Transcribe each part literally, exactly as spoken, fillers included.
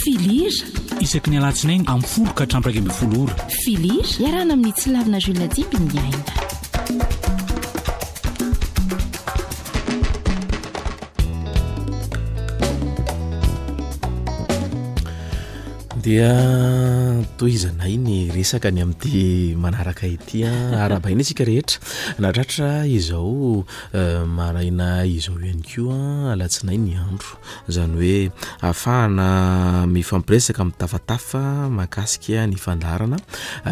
Filira. Isaky ny alatsinainy amin'ny folo ka hatramin'ny iraika ambin'ny folo ora. Filira iarahana amin'ny Tsilavina Jules Dimby ny aina. Dia tohizanay ny resaka ny amin'ity manaraka ity. Arahabaina isika rehetra nahatratra izao maraina izao ihany koa, alatsinainy ny andro. Izany hoe ahafahana mifampiresaka, mitafatafa mahakasika ny fandaharana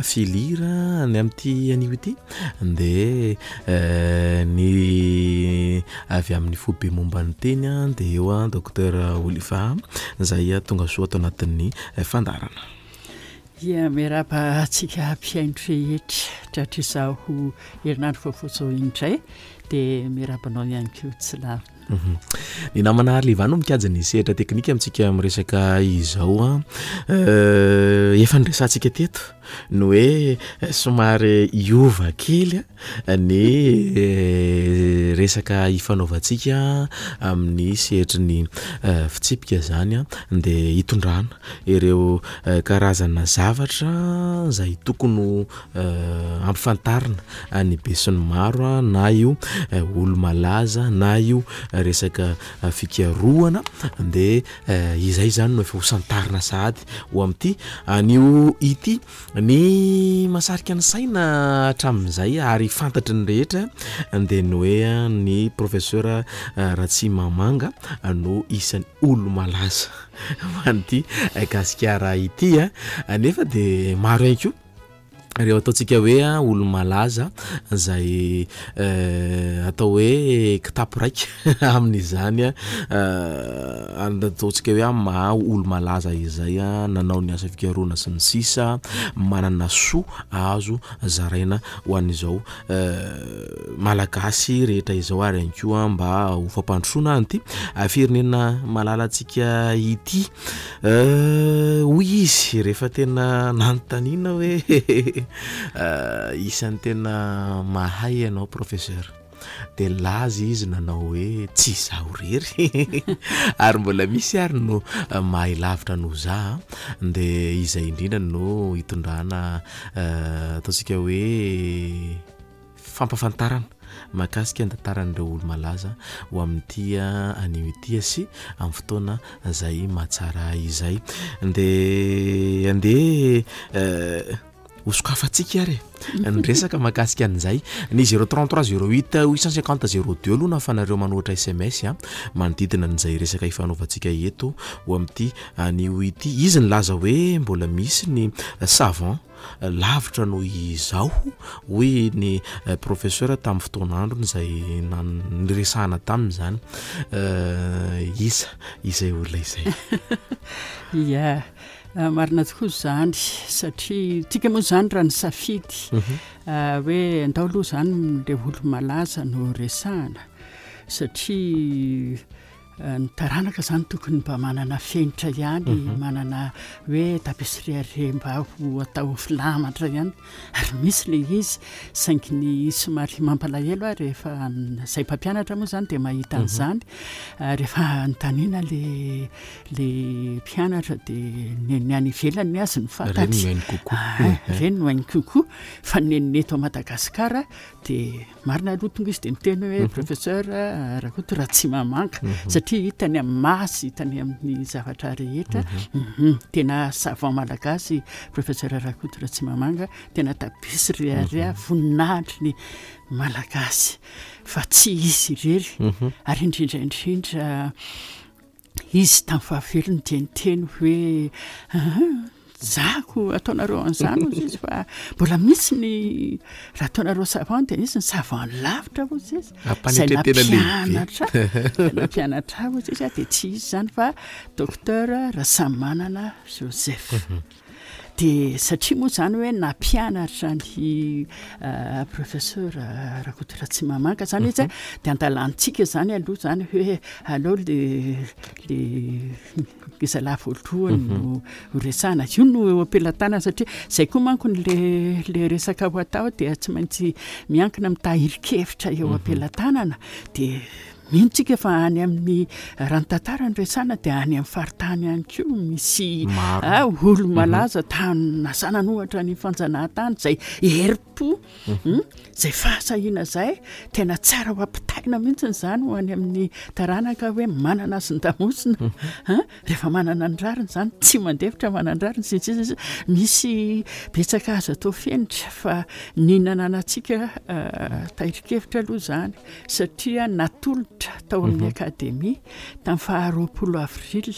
filira ny amin'ity anio ity. Dia ny avy amin'ny foibe momba ny teny dia eo docteur Oliva izay tonga soa ato anatin'ny fandaharana. Ia, miarahaba antsika mpihaino rehetra tratra izao herinandro vaovao izao indray, dia miarahaba anao ihany koa Tsilavina. Ny namana Arliva no mikajy ny sehatra teknika amintsika miresaka izao. Efa niresahantsika teto ny hoe somary hiova kely ny resaka ifanaovantsika amin'ny sehatry ny fitsipika izany, dia hitondrana ireo karazana zavatra izay tokony ho ampifantarina ny besinimaro, na io olo-malaza na io resaka fikarohana, dia izay izany no efa ho santarina sahady ho amin'ity anio ity. Ny mahasarika ny saina hatramin'izay ary fantatry ny rehetra dia ny hoe ny professeur Ratsimamanga no isan'ny olo-malaza ho an'ity Gasikara ity, nefa dia maro ihany koa ireo ataontsika hoe olo-malaza izay atao hoe kitapo raika amin'izany, ataontsika hoe amin'ny maha olo-malaza izay nanao ny asa fikarohana sy ny sisa, manana soa azo zaraina ho an'izao malagasy rehetra izao, ary ihany koa mba ho fampandrosoana an'ity firenena malalantsika ity. Hoy izy rehefa tena nanontaniana hoe isan'ny tena mahay ianao professeur, dia nilaza izy nanao hoe tsy izaho irery ary mbola misy ary no mahay lavitra noho za, dia izay indrindra no hitondrana ataontsika hoe fampahafantarana mahakasika ny tantaran'ireo olo-malaza ho amin'ity anio ity sy amin'ny fotoana izay mahatsara izay. Dia andeha hosokafantsika ary ny resaka mahakasika an'izay. Ny zéro trente-trois zéro huit huit cent cinquante zéro deux aloha nahafanareo manohitra S M S manodidina an'izay resaka ifanaovantsika eto ho amin'ity anio ity. Izy nilaza hoe mbola misy ny savant lavitra noho izaho, hoy ny professeur tamin'ny fotoan'androny izay niresahana taminy izany. Iza izay olona izay? Ia, marina tokoa izany, satria tsika moa izany raha nisafidy hoe andao aloha izany ilay olo-malaza no resahana, satria ny taranaka izany tokony mba manana fenitra ihany, manana hoe tapisriare mba ho atao filamatra ihany, ary misy ilay izy, saingy ny somary mampalahelo aho rehefa izay mpampianatra moa izany dia mahita an'izany, rehefa anontaniana ilay ilay mpianatra dia ny ny any ivelany ny azy no fantatra. Ireny no hainy kokoa. Ireny no hainy kokoa, fa ny ny eto Madagasikara dia marina aloha tonga izy dia miteny hoe professeur Rakoto Ratsimamanga, satria hitany amin'ny maso, hitany amin'ny zavatra rehetra. Tena savant malagasy professeur Rakoto Ratsimamanga, tena tabisy rehareha voninahitry ny malagasy, fa tsy izy irery. Ary indrindra indrindra izy tamin'ny fahavelony dia niteny hoe zako ataonareo an'izany hozy izy, fa mbola misy ny raha ataonareo savant dia misy ny savant lavitra hozy izy, izay nampianatra nampianatra hozy izy, dia tsy izy izany fa docteur Rasamanana Joseph. Dia satria moa izany hoe nampianatra ny professeur Rakoto Ratsimamanga izany izy, dia andalantsika izany aloha izany hoe aleo le le ngezalahy voalohany no ho resahana, io no eo am-pelatanana, satria izay koa manko le le resaka ho atao dia tsy maintsy miankina amin'ny tahirin-kevitra eo am-pelatanana, dia Mino tsika fa any amin'ny raha ny tantara no resahana dia any amin'ny faritany ihany koa misy Maro. olo malaza tany nasana ohatra ny fanjanahantany izay herim-po, mm, izay fahasahiana izay tena tsara ho ampitaina mihitsy izany ho any amin'ny taranaka hoe manana azy ny damosina, hein, rehefa manana ny rariny izany tsy mandefitra manana ny rariny sy ny sisa. Misy betsaka azo atao fenitra fa ny nananantsika, eh, tahirin-kevitra aloha izany satria natolotra tao amin'ny akademia tamin'ny faharoapolo avril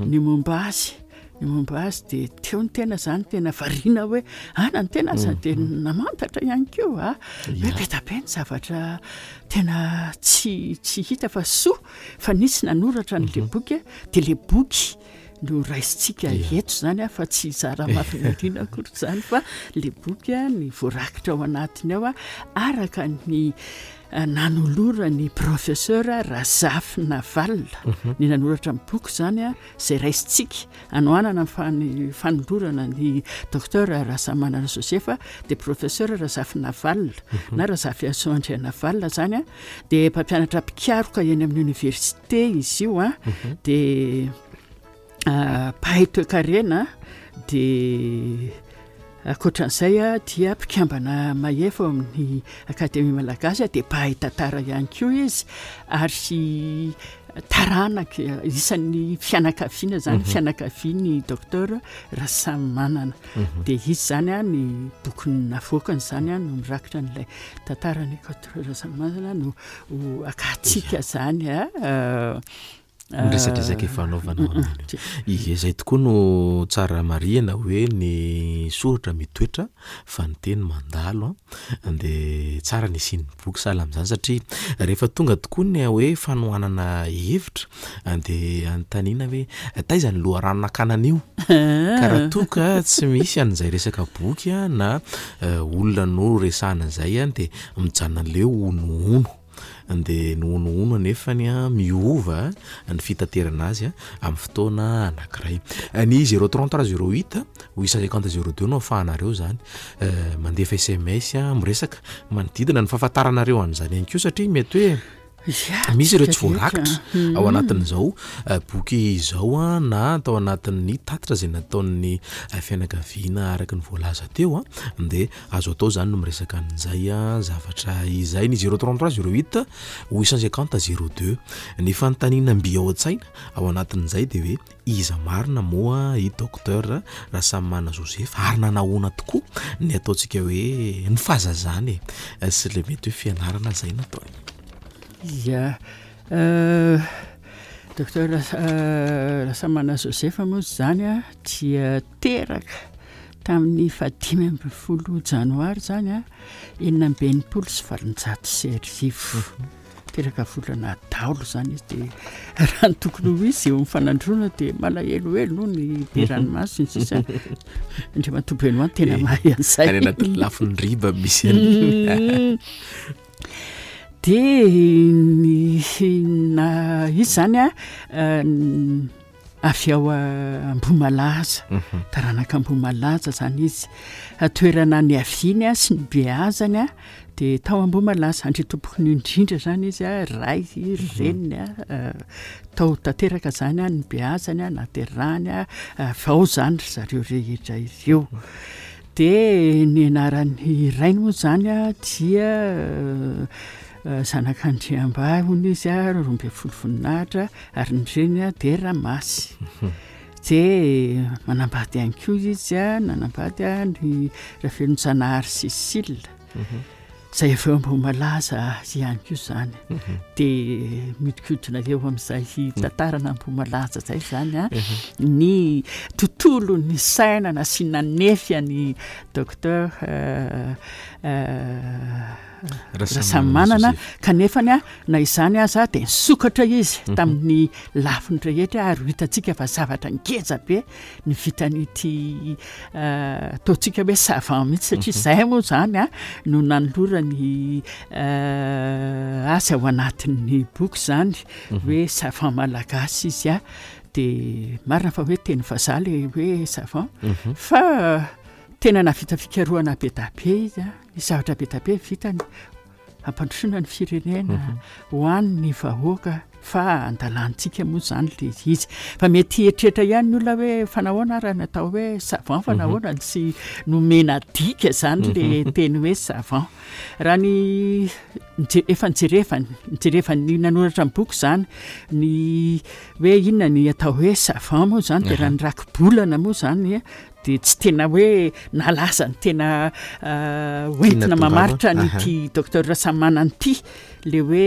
ny momba azy. Ny momba azy dia teo ny tena izany tena variana hoe ana ny tena aza dia namantatra ihany koa, a, hoe be dia be ny zavatra tena tsy, tsy hita fa soa fa nisy nanoratra an'ilay boky, dia ilay boky no raisintsika eto izany, a, fa tsy zara mahafinarina akory izany fa ilay boky, a, ny voarakitra ao anatiny ao, a, araka ny nanoloran'ny professeur Razafy Navalona ny nanoratra ny boky izany, a, izay raisintsika anohanana ny fani-, fanolorana ny docteur Rasamimanana Joseph, dia professeur Razafy Navalona na Razafiason Andrianavalona izany, a, dia mpampianatra mpikaroka eny amin'ny université izy io, a, dia mpahay toekarena, dia ankoatran'izay, a, dia mpikambana mahefa ao amin'ny Akademia Malagasy, a, dia mpahay tantara ihany koa izy ary taranaka isan'ny fianakaviana izany, fianakavian'ny docteur Rasamimanana. Dia izy izany, a, ny boky navoakany izany, a, no mirakitra an'ilay tantaran'ny docteur Rasamimanana no ho akatsika izany, a, Ny resadresaka efa anaovana ao amin'iny. Ie, izay tokoa no tsara marihana hoe ny soratra mitoetra fa ny teny mandalo, a, dia tsara ny hisian'ny boky sahala amin'izany satria rehefa tonga tokoa ny hoe fanohanana hevitra dia anontaniana hoe taiza ny loharano nakana an'io, ka raha toa ka tsy misy an'izay resaka boky, a, na olona no resahana izay, a, dia mijanona an'ilay honohono, dia ny honohono anefany, a, miova ny fitaterana azy, a, amin'ny fotoana anankiray. Ny zéro trente-trois zéro huit huit cent cinquante zéro deux no ahafahanareo izany mandefa S M S, a, miresaka manodidina ny fahafantaranareo an'izany ihany koa satria mety hoe misy ireo tsy voarakitra ao anatin'izao boky izao, a, na tao anatin'ny tatitra izay nataon'ny fianakaviana araka ny voalaza teo, a, dia azo atao izany no miresaka an'izay, a, zavatra izay. Ny zéro trente-trois zéro huit huit cent cinquante zéro deux. Ny fanontaniana mby ao an-tsaina ao anatin'izay dia hoe iza marina moa i docteur Rasamimanana Joseph ary nanahoana tokoa ny ataontsika hoe ny fahazazany e, sy ilay mety hoe fianarana izay nataony. Ia, docteur Rasamimanana Joseph moa izany, a, dia teraka tamin'ny fahadimy ambin'ny folo janoary izany, a, enina amby enimpolo sy valonjato sy arivo. Teraka volana daholo izany izy, dia raha ny tokony ho izy eo amin'ny fanandroana dia malahelohelo no ny be ranomaso sy ny sisa. Andriamatoa Benoît tena mahay an'izay. Any anatin'ny lafiny riba misy an'iny. Dia ny na izy izany, a, avy ao Ambohimalaza, taranaka Ambohimalaza izany izy. Toerana niaviany, a, sy nibeazany, a, dia tao Ambohimalaza, andriatompokony indrindra izany izy, a, ray, reniny, a, tao tanteraka izany, a, nibeazany, a, naterahany, a, avy ao izany ry zareo rehetra ireo. Dia ny anaran'ny rainy moa izany, a, dia zanak'Andriambahy hono izy, a, roa ambin'ny folo voninahitra, ary ny reniny, a, dia Ramasy. Dia manambady ihany koa izy, a, nanambady, a, ny Ravelonjanahary Cécile, izay avy eo Ambohimalaza ihany koa izany. Dia mihodinkodina eo amin'izay tantarana Ambohimalaza izay izany, a, ny tontolo ny saina nasiana nefy an'ny docteur Rasamimanana, kanefany, a, na izany aza dia nisokatra izy tamin'ny lafiny rehetra ary ho hitantsika fa zavatra ngeza be ny vitan'ity ataontsika hoe savant mihitsy satria izay moa izany, a, no nanolorany azy ao anatin'ny boky izany hoe savant malagasy izy, a, dia marina fa hoe teny vazaha ilay hoe savant fa tena nahavita fikarohana be dia be izy, a, nisy zavatra be dia be vitany. Hampandrosoana ny firenena, ho an'ny vahoaka, fa andalantsika moa zany le izy. Fa mety hieritreritra ihany ny olona hoe fa nahoana raha natao hoe savant, fa nahoana tsy nomena dika zany le teny hoe savant? Raha ny nje- efa nijerevany nijerevany nanoratra ny boky zany ny hoe inona ny atao hoe savant moa zany, de raha ny rakibolana moa zany de tsy tena hoe nalaza ny tena hoentina mamaritra nyity docteur Rasamimanana ity, le hoe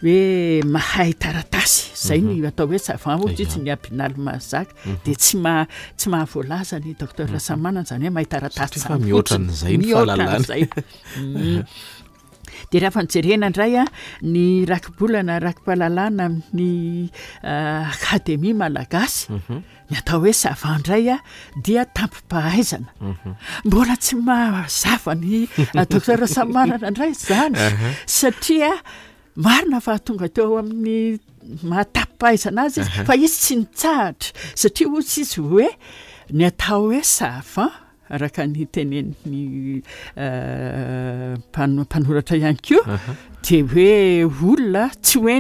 hoe mahay taratasy zay ny atao hoe savant ohatra izy, ny abinaly mahazaka de tsy ma tsy mahavoalaza ny docteur Rasamimanana zany hoe mahay taratasy. Fa mihoatra an'izay ny fahalalany. Zay. De raha fa nijerena indray a ny rakibolana raki-pahalalana amin'ny Akademia Malagasy, ny atao hoe savant indray a dia tampom-pahaizana. Mbola tsy mahazava ny docteur Rasamimanana indray zany, satria marina fa tonga teo amin'ny mahatapom-pahaizana azy izy, fa izy tsy nitsahatra, satria ohatsy izy hoe ny atao hoe savant araka ny tenen'ny mpanoratra ihany koa de hoe olona tsy hoe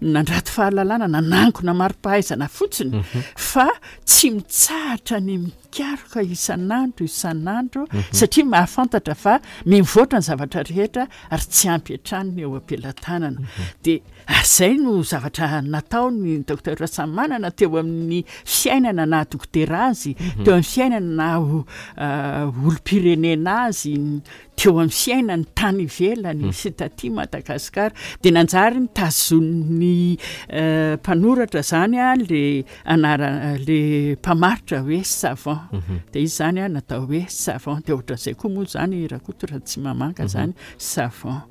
nandrato fahalalana, nanangona mari-pahaizana fotsiny, fa tsy mitsahatra ny mikaroka isan'andro isan'andro, satria mahafantatra fa mivoatra ny zavatra rehetra ary tsy ampy hatrany ny eo am-pelatanana. De ary zay no zavatra natao ny docteur Rasamimanana teo amin'ny fiainana na dokotera azy, teo amin'ny fiainana na olom-pirenena azy, teo amin'ny fiainany tany ivelany sy taty Madagasikara. De nanjary nitazon'ny mpanoratra zany a le anara le mpamaritra hoe savant, de izy zany a natao hoe savant. De ohatran'izay koa moa zany Rakoto raha tsy mamanga zany savant.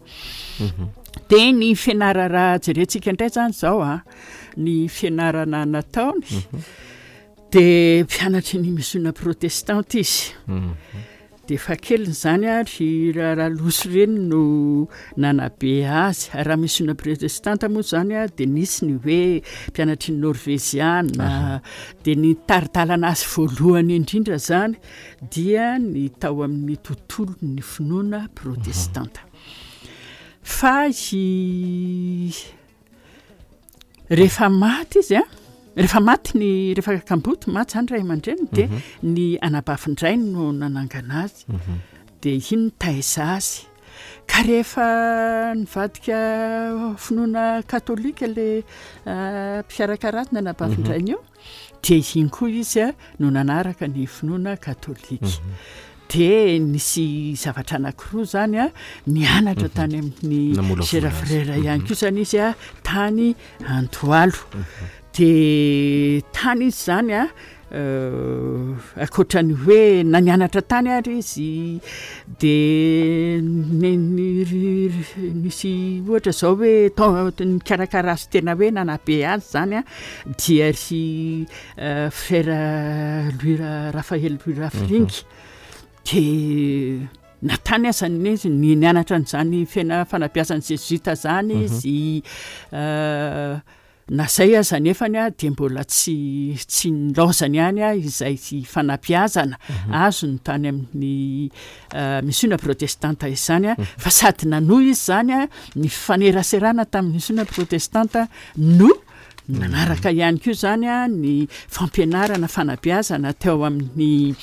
De ny fianarana raha jerentsika indray zany zao a ny fianarana nataony, de mpianatry ny misiona protestante izy. De fahakeliny zany a ry Ralosy reny no nanabe azy. Raha misiona protestante moa zany a de nisy ny hoe mpianatry ny norveziana, de ny tari-dalana azy voalohany indrindra zany dia ny tao amin'ny tontolo ny finoana protestanta. Fa i rehefa maty izy a rehefa maty ny rehefa kamboty maty zany ray aman-dreniny, de ny anabavin-drainy no nanangana azy, de iny nitaiza azy. Ka rehefa nivadika finoana katolika le mpikarakara azy ny anabavin-drainy io, de iny koa izy a no nanaraka ny finoana katolika. De nisy zavatra anankiroa zany a nianatra tany amin'ny Sera Frera ihany koa zany izy a tany Antoalo. De tany izy zany a ankoatrany hoe na nianatra tany ary izy, de nisy ohatra zao hoe tao nikarakara azy tena hoe nanabe azy zany a dia ry frère Louis Raphaël Louis Rafiringa. De na tany aza izy ny nianatra an'izany fiaina fanabeazan'ny zezoita zany izy, na zay aza nefany a de mbola tsy tsy nilaozany ihany a izay fanabeazana azony tany amin'ny misiona protestanta izany a. Fa sady nanohy izy zany a ny faneraserana tamin'ny misiona protestanta no nanaraka ihany koa zany a ny fampianarana fanabeazana teo amin'ny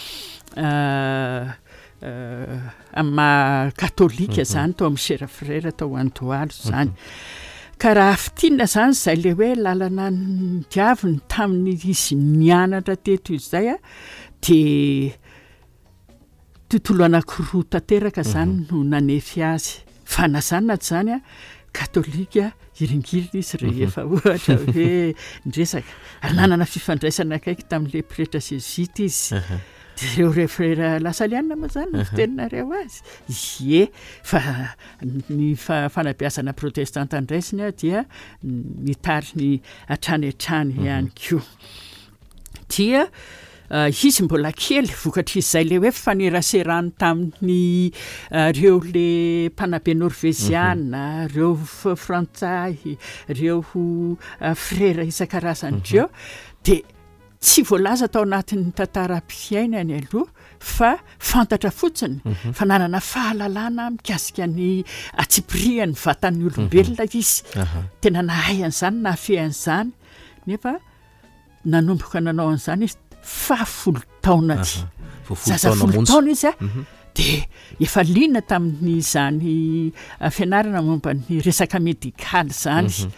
amin'ny maha katolika zany tao amin'ny Sera Frera tao Antoalo zany. Ka raha fintinina zany zay le hoe lalana nidiaviny tamin'ny izy nianatra teto izay a de tontolo anankiroa tanteraka zany no nanefy azy. Fa na zany na tsy zany a katolika hiringiriny izy rehefa ohatra hoe niresaka, ary nanana fifandraisana akaiky tamin'le pretra zezoita izy. De ireo re frera lasalianina moa zany no fiteninareo azy. Ie, fa ny fanabeazana protestanta ndraisiny a dia nitariny hatrany hatrany ihany koa. Dia izy mbola kely vokatr'izay le hoe faneraserany tamin'ny reo le mpanabe norveziana, reo frantsay, reo frera isan-karazany reo, de Tsy voalaza tao anatin'ny tantaram-piainany aloha fa fantatra fotsiny fa nanana fahalalana mikasika ny antsipirian'ny vatan'ny olombelona izy. Tena nahay an'izany, nahafehy an'izany, nefa nanomboka nanao an'izany izy fahafolo taonany. Zaza folo taona izy a, dia efa liana tamin'izany fianarana momba ny resaka medikaly izany.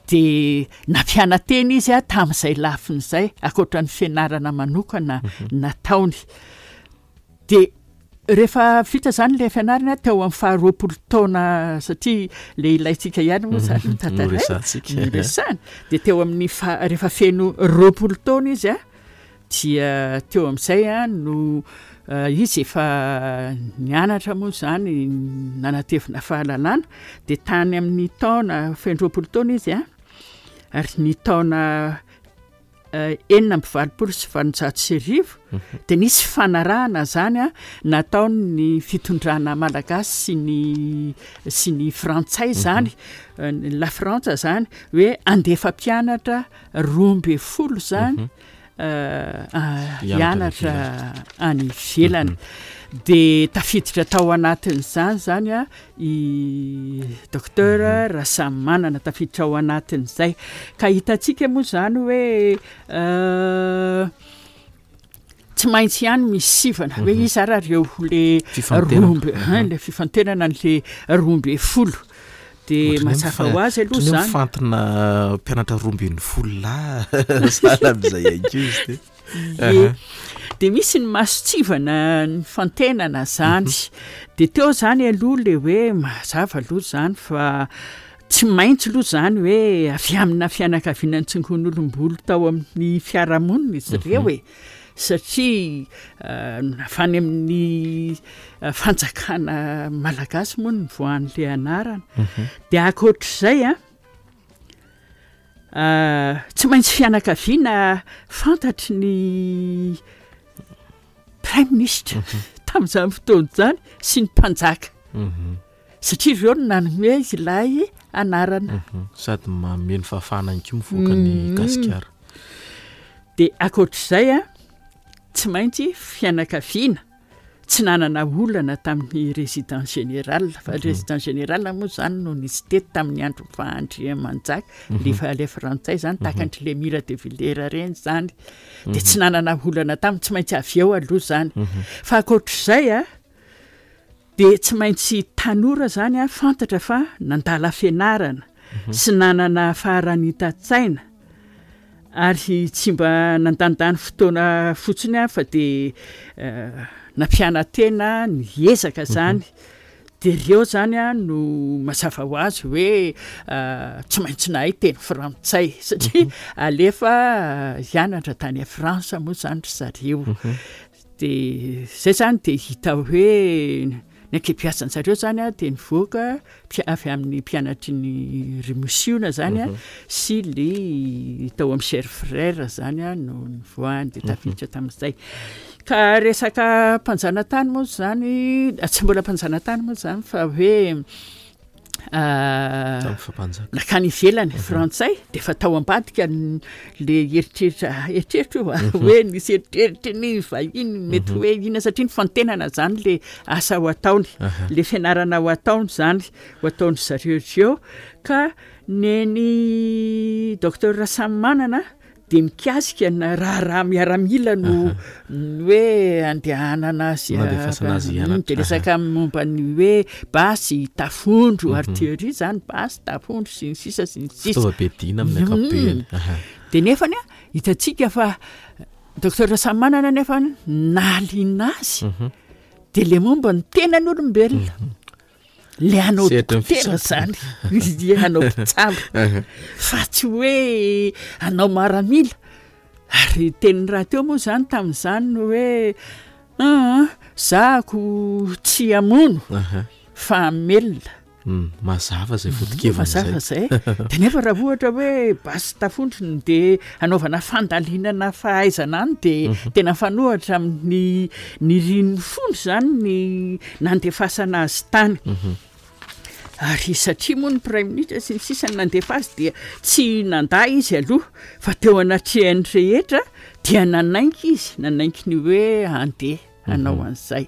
Dia nampiana-tena izy a tamin'izay lafiny izay, ankoatra ny fianarana manokana nataony. Dia rehefa vita izany ilay fianarana teo amin'ny faharoapolo taona, satria le ilaintsika ihany moa izany no tantaraina, noresahana. Dia teo amin'ny fa-, rehefa feno roapolo taona izy a, dia teo amin'izay a no izy efa nianatra moa izany, nanatevina fahalalana. Dia tany amin'ny taona feno roapolo taona izy a, ary ny taona enina amby valopolo sy valonjato sy arivo, dia nisy fanarahana izany a nataon'ny fitondrana malagasy sy ny, sy ny frantsay izany, la Frantsa izany, hoe andefa mpianatra roa amby folo izany, hianatra any ivelany. Dia tafiditra tao anatin'izany izany a i docteur Rasamimanana, tafiditra ao anatin'izay. Ka hitantsika moa izany hoe tsy maintsy ihany misy sivana hoe iza ary ireo le roa amby, hein, le fifantenana an'le roa amby folo. Dia mazava ho azy aloha izany. Mifantina mpianatra roa ambin'ny folo lahy sahala amin'izay ihany koa izy ty. Ie. Dia misy ny mason-tsivana ny fantenana izany. Dia teo izany aloha le hoe mazava aloha izany fa tsy maintsy aloha izany hoe avy amina fianakaviana nitsingon'olom-bolo tao amin'ny fiarahamonina izy ireo e. Satria avy any amin'ny fanjakana malagasy moa no nivoahan'ilay anarana. Dia ankoatr'izay a, tsy maintsy fianakaviana fantatry ny prime ministre tamin'izany fotoana izany sy ny mpanjaka. Satria ireo no nanome ilay anarana. Sady manome ny fahafahana ihany koa mivoaka ny Gasikara. Dia ankoatr'izay a, tsy maintsy fianakaviana tsy nanana olana tamin'ny résident général, fa résident général moa izany no nisy teto tamin'ny andro fahandriamanjaka, le fa le frantsay izany, tahaka an-dry Lemire de Villers ireny izany. Dia tsy nanana olana taminy, tsy maintsy avy eo aloha izany. Fa ankoatr'izay a, dia tsy maintsy tanora izany a, fantatra fa nandala fianarana sy nanana faharanitan-tsaina, ary tsy mba nandandany fotoana fotsiny a, fa dia nampiana-tena niezaka izany. Dia ireo izany a no mazava ho azy hoe tsy maintsy nahay teny frantsay, satria alefa hianatra tany Frantsa moa izany ry zareo. Dia izay izany dia hita hoe ny ankebiazan-jareo izany a dia nivoaka avy amin'ny mpianatry ny Rimosiona izany a, sy le tao amin'ny Chers Frères izany a no nivoahany, dia tafiditra tamin'izay. Ka resaka mpanjanatany moa izany, tsy mbola mpanjanatany moa izany fa hoe nakany ivelany frantsay, dia efa tao ambadika le eritreritra, eritreritra io a, hoe nisy eritreritry ny vahiny mety hoe inona, satria ny fantenana izany le asa ho ataony, le fianarana ho ataony izany, ho ataony zareo ireo. Ka neny docteur Rasamimanana dia mikasika na raharaha miaramila no hoe andehanana azy, dia resaka momba ny hoe basy, tafondro, artillerie izany, basy, tafondro sy ny sisa sy ny sisa. Fitaovam-piadiana amin'ny ankapobeny. Dia nefany a, hitantsika fa docteur Rasamimanana nefany nahaliana azy, dia le momba ny tenan'olombelona. Le hanao dokotera izany, le hanao mpitsabo, fa tsy hoe hanao maramila. Ary teniny rahateo moa izany tamin'izany no hoe zahako tsy hamono fa hamelona. Mazava izay foto-keviny izay. Mazava izay. Dia nefa raha ohatra hoe basy tafondro no dia hanaovana fandalinana fahaizana any, dia tena mifanohitra amin'ny nirin'ny fony izany ny nandefasana azy tany. Ary satria moa ny praiminisitra sy ny sisa no nandefa azy dia tsy nandà izy aloha fa teo anatrehan'ny rehetra dia nanaiky izy, nanaiky ny hoe handeha hanao an'izay.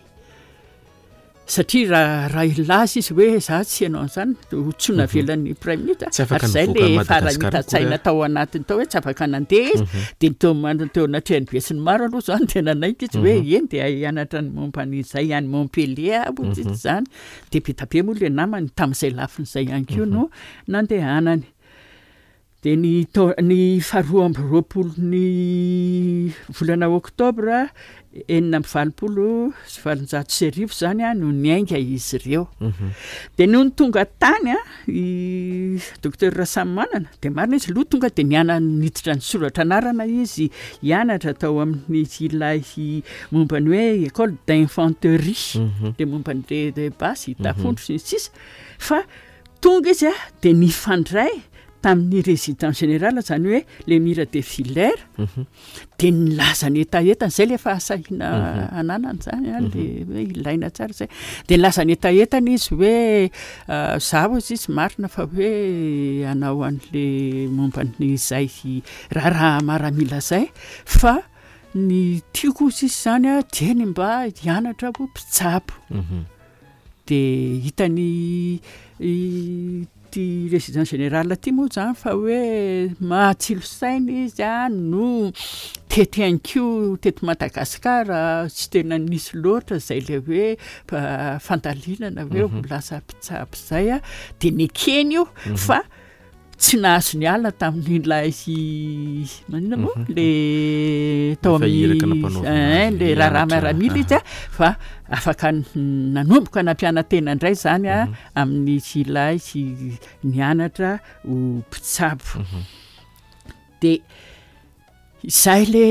Satria raha raha hilaza izy hoe za tsy hanao an'izany ho tsy navelan'ny praiminisitra. Tsy afaka Ary izay nivoaka le an'i Madagasikara faharanitan-tsaina akory ary. tao anatiny tao hoe tsy afaka nandeha izy. Dia teo man- teo anatrehan'ny besinimaro aloha izany dia nanaiky izy hoe eny dia hianatra ny momba an'izay any Montpellier aho hoy izy izany. Dia be dia be moa le namany tamin'izay lafiny izay ihany koa no nandehanany. Dia ny tao- ny faharoa amby roapolo ny volana oktobra enina amby valopolo sy valonjato sy arivo izany a no niainga izy ireo. Dia nony tonga tany a i docteur Rasamimanana dia marina izy aloha tonga dia niana- niditra nisoratra anarana izy hianatra tao amin'ny ilay momba ny hoe école d'infanterie, le momba an'le basy, tafondro sy ny sisa. Fa tonga izy a dia nifandray tamin'ny résident général, zany hoe le Myre de Vilers, dia nilaza ny hetahetany zay le fahasahiana ananany zany a, le hoe ilaina tsara zay. Dia nilaza ny hetahetany izy hoe zaho izy izy marina fa hoe hanao an'le momba an'izay raharaha maramila zay, fa ny tiako izy izy zany a dia ny mba hianatra ho mpitsabo. Dia hitany ty résident général ty moa zany fa hoe mahatsilo saina izy a no teto ihany koa teto Madagasikara tsy tena nisy loatra zay le hoe fandalinana hoe ho lasa mpitsabo zay a, dia nekeny io fa tsy nahazo niala tamin'ilay maninona moa le tao Efa iraka amin'ny nampanaovina eh, azy le raharaha hianatra. miaramila izy a, fa afaka n- nanomboka nampiana-tena indray zany a amin'ny ilay nianatra ho mpitsabo. Dia izay le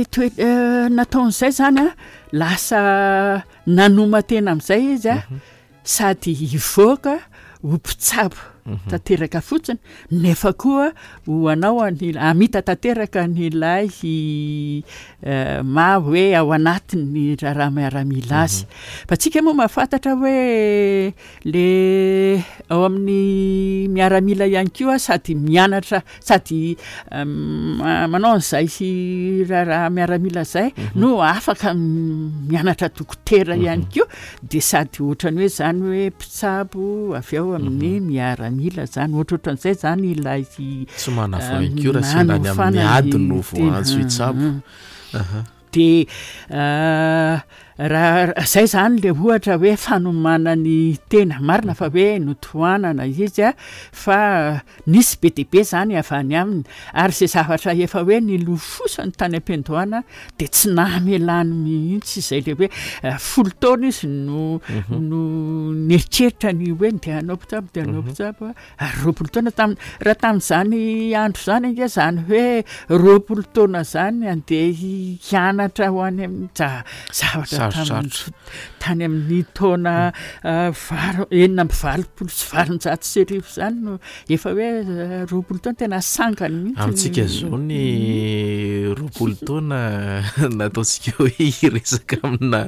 toe- eh, nataon'izay zany a lasa nanoma-tena amin'izay izy a, sady hivoaka ho mpitsabo tanteraka fotsiny nefa koa ho anao any hamita tanteraka an'ilay eh, maha hoe ao anatin'ny raharaha miaramila azy. Fa tsika moa mahafantatra hoe le ao amin'ny miaramila ihany koa sady mianatra sady ma- manao an'izay raharaha miaramila zay no afaka mianatra dokotera ihany koa, dia sady ohatrany hoe zany hoe mpitsabo avy ao amin'ny miaramila zany, ohatrohatran'izay zany ilay Tsy manavoa ihany koa raha sendra any amin'ny ady no voaantso hitsabo. Dia raha zay zany le ohatra hoe fanomanany tena, marina fa hoe notohanana izy a, fa nisy be dia be zany avy any aminy, ary zay zavatra efa hoe nilofosany tany am-piandohana dia tsy namelany mihitsy izay le hoe folo taona izy no no nieritreritra ny hoe ndeha hanao mpitsabo, ndeha hanao mpitsabo, ary roapolo taona tam- raha tamin'izany andro zany ange zany hoe roapolo taona zany andeha hianatra ho any amin'ny za- zavatra Sarotsarotra. tamin'ny tany amin'ny taona valo enina amby valopolo sy valonjato sy arivo zany no efa hoe roapolo taona tena sangany mihitsy. Amintsika zao ny roapolo taona nataontsika hoe hiresaka amina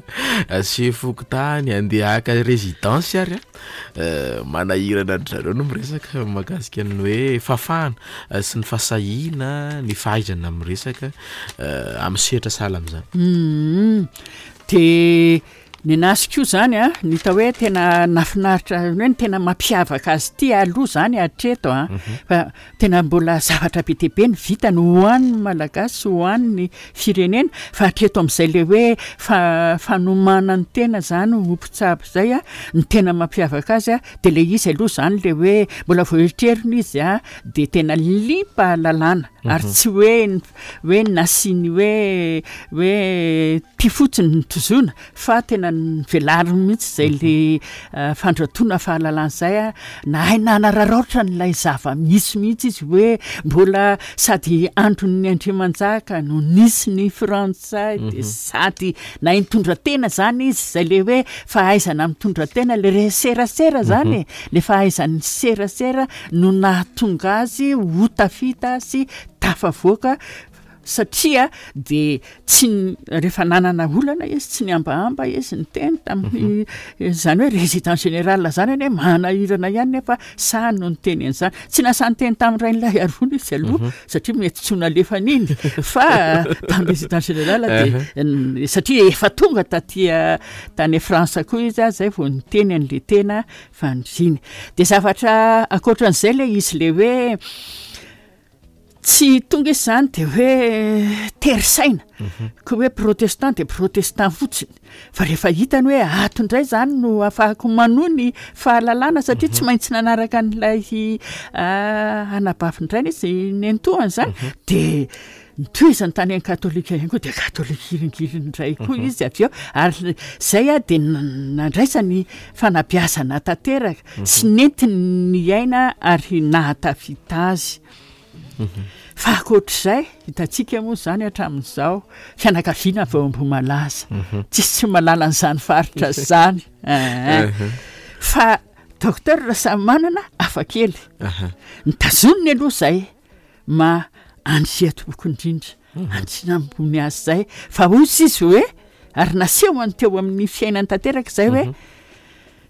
chef fokontany andeha haka résidence ary a, manahirana an-dry zareo no miresaka mahakasika ny hoe fahafahana sy ny fahasahiana, ny fahaizana miresaka amin'ny sehatra sahala amin'izany. Mhm. Dia ny anazy koa zany a, ny hita hoe tena nahafinaritra hoe ny tena mampiavaka azy ity aloha zany hatreto a, fa tena mbola zavatra be dia be ny vitany ho an'ny Malagasy, ho an'ny firenena, fa hatreto amin'izay le hoe fa- fanomanany tena zany ho mpitsabo zay a, ny tena mampiavaka azy a, dia le izy aloha zany le hoe mbola vao eritreriny izy a, dia tena liam-pahalalana ary tsy hoe n- hoe nasiany hoe hoe tia fotsiny ny tozoana fa tena nivelariny mihitsy zay le fandratoana fahalalana zay a, nahay nanararaotra n'ilay zava-misy mihitsy izy hoe mbola sady andron'ny Andriamanjaka no nisy ny Frantsay, dia sady nahay nitondra tena zany izy, zay le hoe fahaizana mitondra tena, le re serasera zany e, le fahaizan'ny serasera no nahatonga azy ho tafita sy tafavoaka Satria de tsy rehefa nanana olana izy, tsy niambahamba izy niteny tamin'ny zany hoe résident général zany anie manahirana ihany, nefa sahy no niteny an'izany. Tsy nasahy niteny tamin'ny Rainilaiarivony izy aloha satria mety tsy ho nalefany iny, fa tamin'ny résident général de satria efa tonga taty tany France koa izy a, zay vao niteny an'le tena faniriany. De zavatra ankoatran'izay le izy le hoe tsy tonga izy zany de hoe tery saina ka hoe protestant de protestant fotsiny, fa rehefa hitany hoe ato indray zany no ahafahako manohy ny fahalalana, satria tsy maintsy nanaraka an'ilay anabavin-drainy izy nentohany zany, de nitohizany tany amin'ny katolika ihany koa, de katolika iringiriny indray koa izy avy eo. Ary zay a de nandraisany fanabeazana tanteraka sy nentiny ny aina ary nahatafita azy. Fa ankoatr'izay, hitantsika moa zany hatramin'izao fianakaviana avy ao Ambohimalaza, tsisy tsy mahalala an'izany faritra zany. Fa docteur Rasamimanana hafa kely, nitazoniny aloha zay ma andriatompoko indrindra, andriana ambony azy zay, fa hoy izy hoe ary nasehony teo amin'ny fiainany tanteraka zay hoe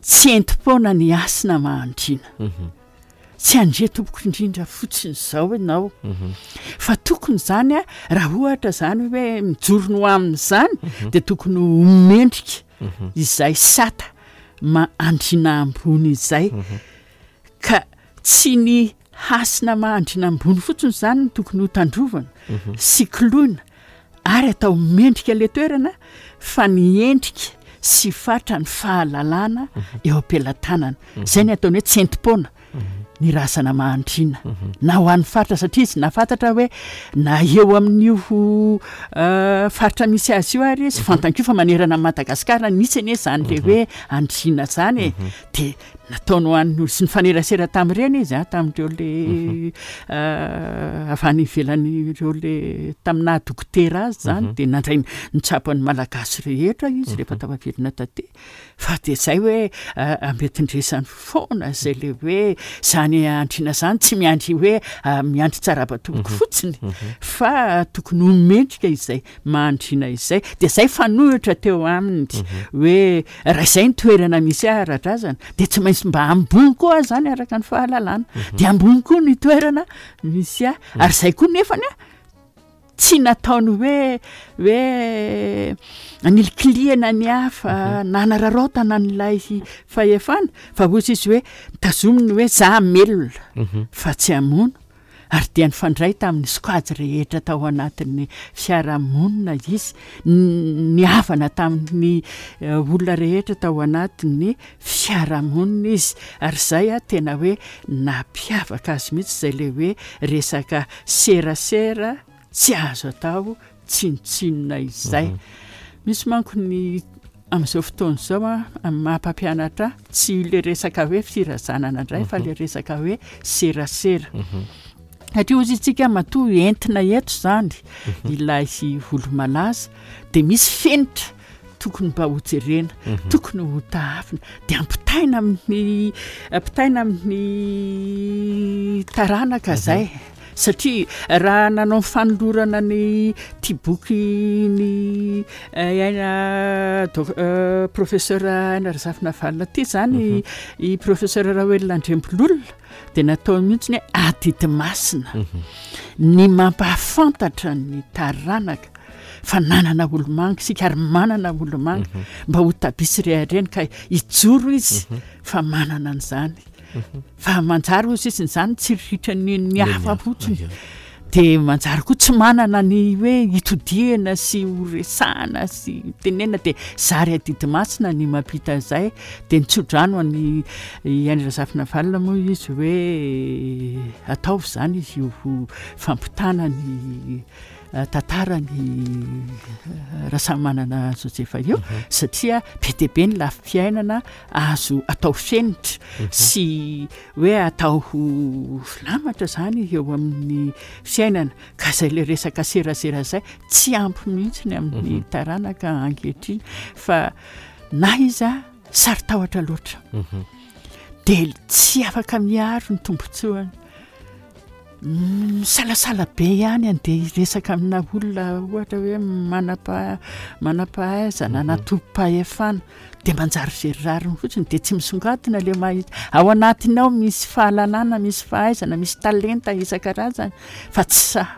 tsy entim-poana ny hasina mahandriana. Tsy andriatompoko indrindra fotsiny izao ianao, fa tokony zany a raha ohatra zany hoe mijoro no amin'izany de tokony ho mendrika izay sata ma andriana ambony izay. Ka tsy ny hasina mahandriana ambony fotsiny zany no tokony ho tandrovana sy koloina ary atao mendrika le toerana, fa ny endrika sy fatra ny fahalalana eo am-pelatanana. Zay ny ataony hoe tsy entim-poana ny razana mahandriana na ho an'ny faritra, satria izy nahafantatra hoe na eo amin'io faritra misy azy io ary izy fantany koa fa manerana an'i Madagasikara nisy anie zany le hoe andriana zany e, de nataony ho an'ny sy nifanerasera tamin'ireny izy a, tamin'ireo le avy any ivelany ireo le tamin'ny naha dokotera azy zany, de nandray nitsabo an'ny Malagasy rehetra izy rehefa tafaverina taty. Fa de zay hoe ambetindresany foana zay le hoe zany andriana zany, tsy miandry hoe miandry tsarabatompoko fotsiny, fa tokony ho mendrika izay mahandriana izay. De zay fanohitra teo aminy hoe raha izay ny toerana misy ahy ara-drazana de tsy maintsy mba ambony koa zany araka ny fahalalana, de ambony koa ny toerana misy ahy. Ary zay koa nefany a tsy nataony hoe hoe anilikiliana ny hafa na nanararaotana an'ilay fahefana, fa hoy izy hoe nitazominy hoe za hamelona fa tsy hamono. Ary dia nifandray tamin'ny sokajy rehetra tao anatin'ny fiarahamonina izy, nihavana tamin'ny olona rehetra tao anatin'ny fiarahamonina izy. Ary zay a tena hoe nampiavaka azy mihitsy zay le hoe resaka serasera tsy azo atao tsinontsinona izay. Misy manko ny amin'izao fotoana izao a amin'ny maha mpampianatra tsy le resaka hoe firazanana indray, fa le resaka hoe serasera. Satria hozy isika matoa entina eto zany ilay olo-malaza de misy fenitra tokony mba hojerena, tokony ho tahafina, de ampitaina amin'ny ampitaina amin'ny taranaka zay. Satria raha nanao fanolorana ny ty boky ny aina professeur Aina Razafinavalona ty zany i professeur Raoelina Andriambololona, de natao mihitsy ny hoe adidy masina ny mampahafantatra ny taranaka fa nanana olomanga isika ary manana olomanga mba ho tabisy rehareny ka hijoro izy fa manana an'izany. Fa manjary hozy izy izany tsy ritra ny ny hafa fotsiny, de manjary koa tsy manana ny hoe hitodihana sy ho resahana sy tenenina, de zary adidy masina ny mampita izay. De nitsodrano an'i Aina Razafinavalona moa izy hoe ataovy zany izy io fampitana ny tantarany Rasamimanana Josefa io, satria be dia be ny lafim-piainana azo atao fenitra sy hoe atao ho filamatra zany eo amin'ny fiainana. Ka zay le resaka serasera zay tsy ampy mihitsy ny amin'ny taranaka ankehitriny, fa na izy a saro-tahotra loatra de tsy afaka miaro ny tombontsoany. Misalasala be ihany andeha hiresaka amina olona ohatra hoe manam-pa- manam-pahaizana na tompom-pahefana, dia manjary very rariny fotsiny, dia tsy misongadina ilay maha izy. Ao anatiny ao misy fahalalana, misy fahaizana, misy talenta isan-karazany, fa tsy sahy.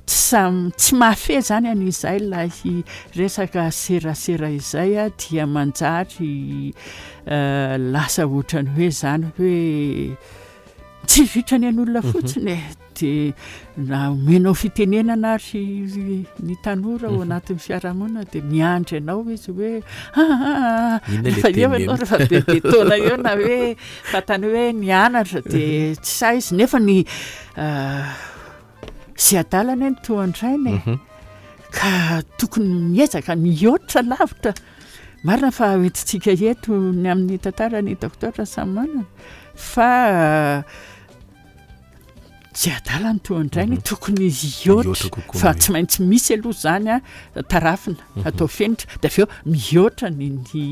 Tsy samy, tsy mahafehy zany an'izay ilay resaka serasera izay, a, dia manjary lasa ohatrany hoe zany hoe tsy vitrany an'olona fotsiny e. Dia na omenao fitenenana ary ny tanora ao anatin'ny fiarahamonina, dia miandry anao izy hoe ah, Inona le rehefa eo teny ianao, rehefa bebe taona eo, na hoe fantany hoe nianatra, dia tsy sahy izy, nefa ny sy adalana eny tohan-drainy e. Ka tokony miezaka mihoatra lavitra. Marina fa hoentintsika eto ny amin'ny tantarany docteur Rasamimanana, fa tsy adala ny tohan-drainy, tokony hihoatra, Mihoatra kokoa fa ny- tsy maintsy misy aloha zany a tarafina, atao fenitra, dia avy eo mihoatra ny ny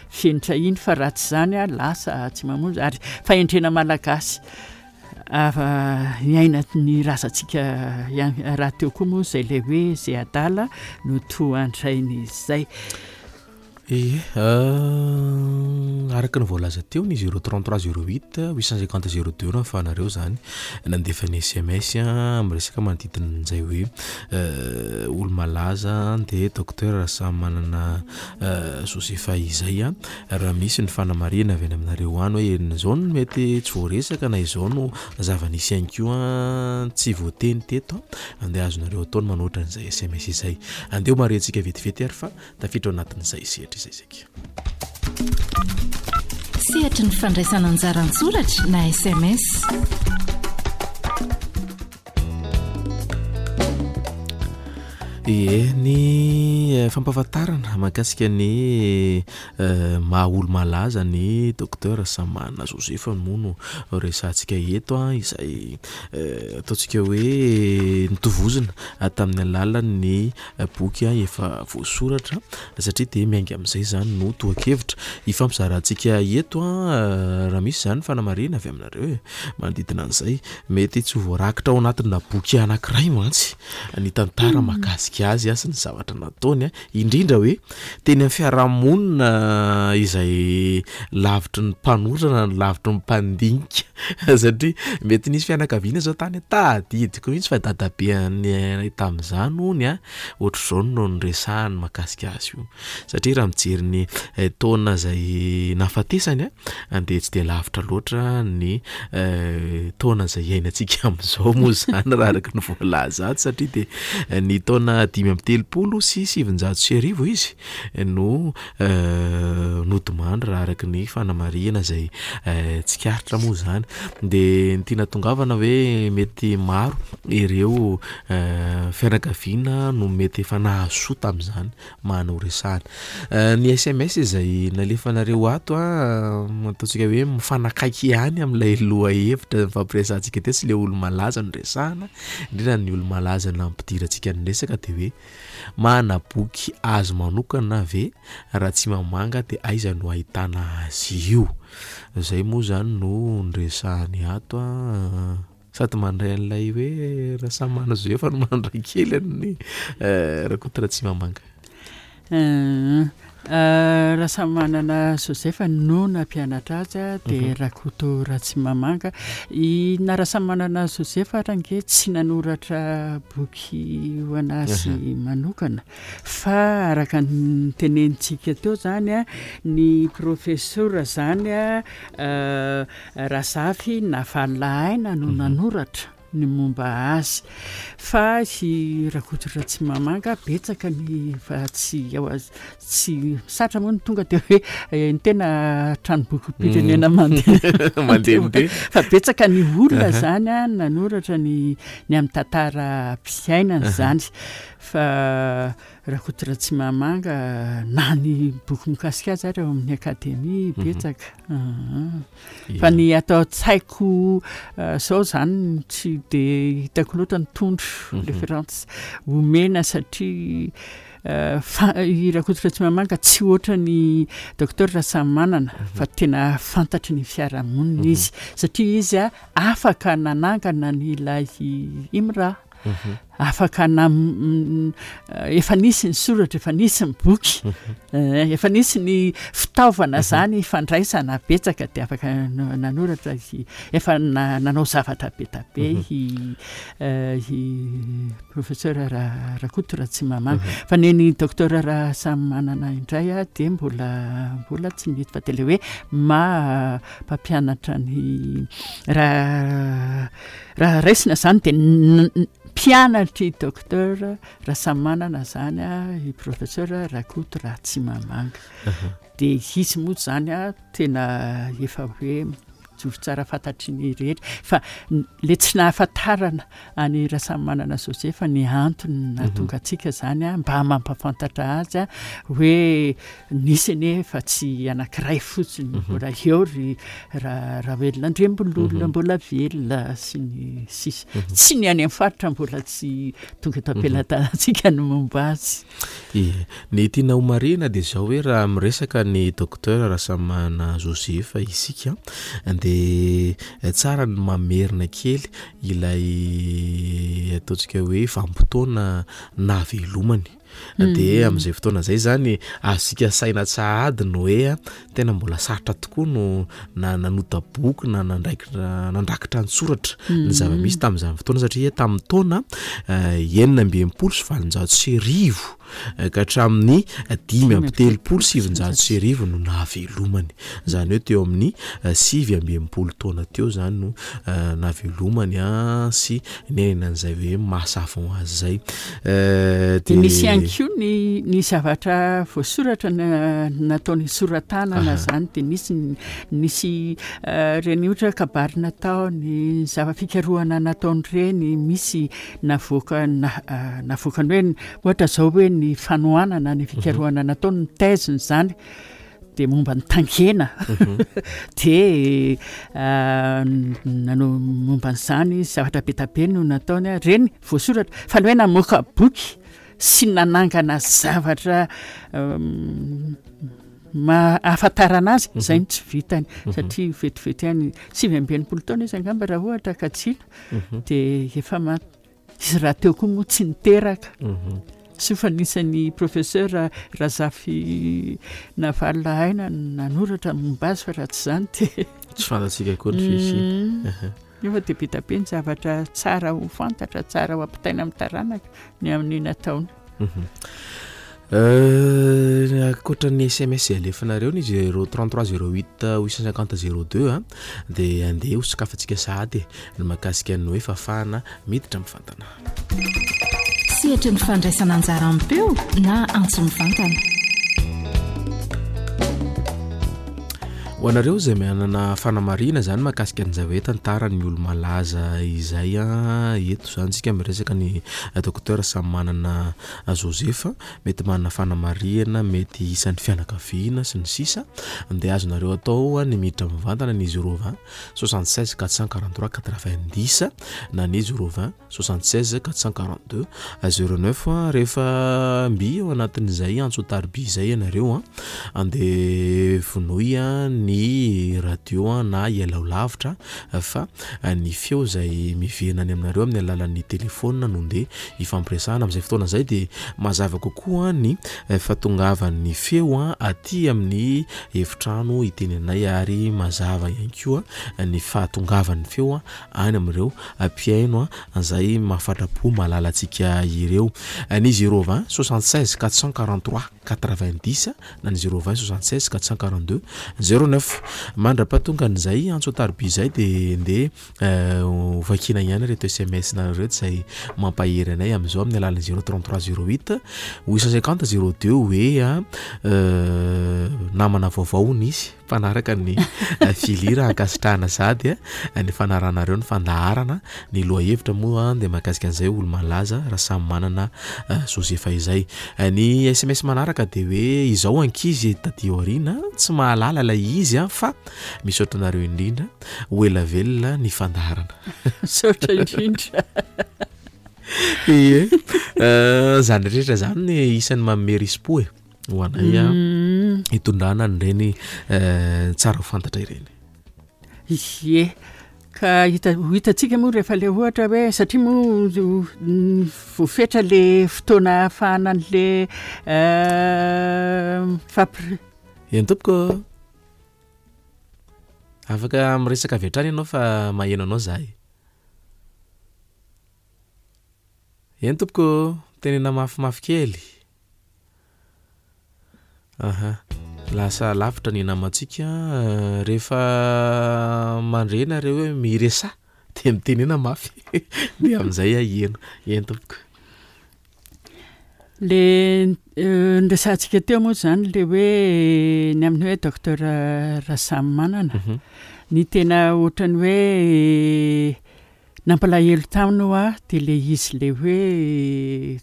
fenitra iny, fa raha tsy zany a lasa tsy mamonjy. Ary fahendrena malagasy ava iaina ny razantsika ihany raha teo koa moa zay ilay hoe zay adala no tohan-drainy izay. Ie, araka ny voalaza teo ny zéro trente-trois zéro huit huit cent cinquante zéro deux no ahafahanareo zany nandefa ny S M S miresaka manodidina an'izay hoe olo-malaza dia docteur Rasamimanana Joseph izay. Raha misy ny fanamarihana avy any aminareo any hoe izao no mety tsy voaresaka na izao no zava-nisy ihany koa tsy voateny teto, andeha azonareo atao ny manoatra an'izay S M S izay. Andeha ho marihantsika vetivety ary fa tafiditra ao anatin'izay sehatra izay isika. Sehatry ny fandraisana anjara an-tsoratra na S M S. Ie, ny fampahafantarana mahakasika ny maha olo-malaza ny docteur Rasamimanana Joseph moa no resahantsika eto, izay ataontsika hoe nitovozina tamin'ny alalan'ny boky efa voasoratra, satria dia miainga amin'izay zany no tohan-kevitra ifampizarantsika eto. Raha misy zany fanamarihana avy aminareo e, manodidina an'izay, mety tsy ho voarakitra ao anatina boky anankiray mantsy ny tantara mahakasika azy sy ny zavatra nataony, indrindra hoe teny amin'ny fiarahamonina izay lavitry ny mpanoratra na ny lavitry ny mpandinika, satria mety nisy fianakaviana zao tany tadidiko mihitsy fa dadabe anay tamin'izany hony a, ohatr'izao no niresahany mahakasika azy io, satria raha mijery ny taona izay nahafatesany a, dia tsy dia lavitra loatra ny taona izay iainantsika amin'izao moa zany raha araka ny voalaza ato, satria dia ny taona dimy amby telopolo sy sivinjato sy arivo izy no nodimandry raha araka ny fanamarihana izay tsikaritra moa zany. Dia ny tiana tongavana hoe mety maro ireo fianakaviana no mety efa nahazo soa tamin'izany manao resahana. Ny S M S izay nalefanareo ato a, ataontsika hoe mifanakaiky ihany amin'ilay lohahevitra nifampiresahantsika teo sy ilay olo-malaza no resahana, indrindra ny olo-malaza nampidirantsika ny resaka dia hoe mana boky azy manokana ve raha tsy mamanga dia aiza no ahitana azy io? Izay moa zany no niresahany ato a. Sady mandray an'ilay hoe Rasamimanana Joseph no mandray kely an'ny Rakoto Ratsimamanga. Rasamimanana Joseph no nampianatra azy a, dia Rakoto Ratsimamanga. I na Rasamimanana Joseph ary ange tsy nanoratra boky ho anazy manokana, fa araka ny tenenintsika teo zany a, ny professeur zany a, Razafy Navalilahaina no nanoratra ny momba azy, fa i Rakoto Ratsimamanga betsaka ny fa tsy ao az-, tsy satra moa ny tonga dia hoe ny tena tranombokim-pirenena mandeha mandehandeha, fa betsaka ny olona zany a nanoratra ny, ny amin'ny tantaram-piainana zany, fa Rakoto Ratsimamanga na ny boky mikasika azy ary ao amin'ny akademia betsaka. Fa ny atao an-tsaiko zao zany tsy de hitako loatra ny tondro référence omena, satria Fa i Rakoto Ratsimamanga tsy ohatra ny docteur Rasamimanana fa tena fantatry ny fiarahamonina izy, satria izy a afaka nanangana ny ilay IMRA, afaka na efa nisy ny soratra, efa nisy ny boky, efa nisy ny fitaovana zany fandraisana betsaka, de afaka nanoratra, efa nanao zavatra be da be i i professeur Rakoto Ratsimamanga. Fa neny docteur Rasamimanana indray a de mbola mbola tsy nety, fa de le hoe ma mpampianatra ny raha raha raisina zany de mpianatry docteur Rasamimanana zany a i professeur Rakoto Ratsimamanga. De izy moa zany a tena efa hoe mijoro tsara fantatry ny rehetra, fa le tsy nahafantarana any Rasamimanana Joseph ny antony nahatonga antsika zany a mba mampafantatra azy a hoe nisy anefa tsy anankiray fotsiny, mbola eo ry Raha Rahoelina Andriambololona mbola velona sy ny sisa, tsy ny any amin'ny faritra mbola tsy tonga eto am-pelatanantsika ny momba azy. E, ny tiana ho marihina de zao hoe raha miresaka ny docteur Rasamimanana Joseph isika de tsara ny mamerina kely ilay ataontsika hoe vanim-potoana nahavelomany. De amin'izay fotoana zay zany azontsika saina tsahady ny hoe tena mbola sarotra tokoa no na nanota boky na nandraikitra nandrakitra an-tsoratra ny zava-misy tamin'izany fotoana, satria tamin'ny taona enina amby enimpolo sy valonjato sy arivo ka hatramin'ny dimy amby telopolo sivinjato sy arivo no nahavelomany. Zany hoe teo amin'ny sivy amby enimpolo taona teo zany no nahavelomany a sy niainana an'izay hoe maha-savant azy zay. De nisy ihany koa ny ny zavatra voasoratra nataony soratanana zany, de nisy nisy reny ohatra kabary nataony, zava-pikarohana nataony reny, misy navoaka navoakany hoe ohatra zao hoe ny fanohanana ny fikarohana nataony, ny thèse-ny zany de momba ny tangena, de nanao momba an'izany zavatra be da be no nataony a reny voasoratra. Fa ny hoe namoaka boky sy nanangana zavatra ma ahafantarana azy zay no tsy vitany, satria vetivety ihany, sivy amby enimpolo taona izy angamba raha ohatra ka tsila de efa maty izy. Raha teo koa moa tsy niteraka soa fa nisan'ny professeur Razafy Navalona Aina nanoratra momba azy, fa raha tsy zany de tsy fantatsika koa ny fisy. Nefa de be da be ny zavatra tsara ho fantatra, tsara ho ampitaina amin'ny taranaka ny amin'ny nataony. Ankoatra ny S M S alefanareo ny zéro trente-trois zéro huit huit cent cinquante zéro deux a de andeha ho sokafantsika sahady ny mahakasika ny hoe fahafahana miditra mivantana. Sehatry ny fandraisana anjara am-peo na antso mivantana. Ho anareo izay manana fanamarihana zany mahakasika an'izay hoe tantaran'ny olo-malaza izay a eto zany tsika miresaka ny docteur Samimanana Joseph, mety manana fanamarihana, mety isan'ny fianakaviana sy ny sisa, de azonareo atao ny miditra mivantana ny zéro vingt soixante seize quatre cent quarante trois quatre vingt dix na ny zéro vingt soixante seize quatre cent quarante deux zéro neuf. Rehefa mby eo anatin'izay antso tarbi zay ianareo a andeha vonoy a ny radio a na ialao lavitra, fa ny feo zay miverina any aminareo amin'ny alalan'ny telefona no ndeha ifampiresahana. Amin'izay fotoana zay de mazava kokoa ny fahatongavan'ny feo a aty amin'ny efitrano itenenay, ary mazava ihany koa ny fahatongavan'ny feo a any amin'ireo mpihaino a zay mahafatra-po mahalala antsika ireo. Ny zéro vingt soixante seize quatre cent quarante trois quatre vingt dix na ny zéro vingt soixante seize quatre cent quarante deux zéro neuf. Mandra-pahatonga an'izay antso tarbi zay de ndeha hovakina ihany reto S M S nareo reto zay mampahery anay amin'izao amin'ny alalan'ny zéro trente trois zéro huit huit cent cinquante zéro deux hoe a namana vaovao nisy mpanaraka ny filira, ankasitrahana sady a ny fanaranareo ny fandaharana. Ny lohahevitra moa de mahakasika an'izay olo malaza Rasamimanana Joseph izay. Ny S M S manaraka de hoe izao ankizy taty aoriana tsy mahalala ilay izy a fa misaotra anareo indrindra, ho ela velona ny fandaharana. Misaotra indrindra. Ie, zany rehetra zany isan'ny manome risi-po e ho anay a hitondrana an'ireny tsara ho fantatra ireny. Ie, ka hita ho hitantsika moa rehefa le ohatra hoe satria moa voafetra le fotoana ahafahana an'le fampir- Eny tompoko, afaka miresaka avy hatrany ianao fa maheno anao zahay. Eny tompoko, tenena mafimafy kely. Aha, lasa lavitra ny namantsika rehefa mandre nareo hoe miresaha de mitenena mafy de amin'izay aheno. Eny tompoko. Le noresahantsika teo moa zany le hoe ny amin'ny hoe docteur Rasamimanana. Ny tena ohatrany hoe nampalahelo taminy hoa de le izy le hoe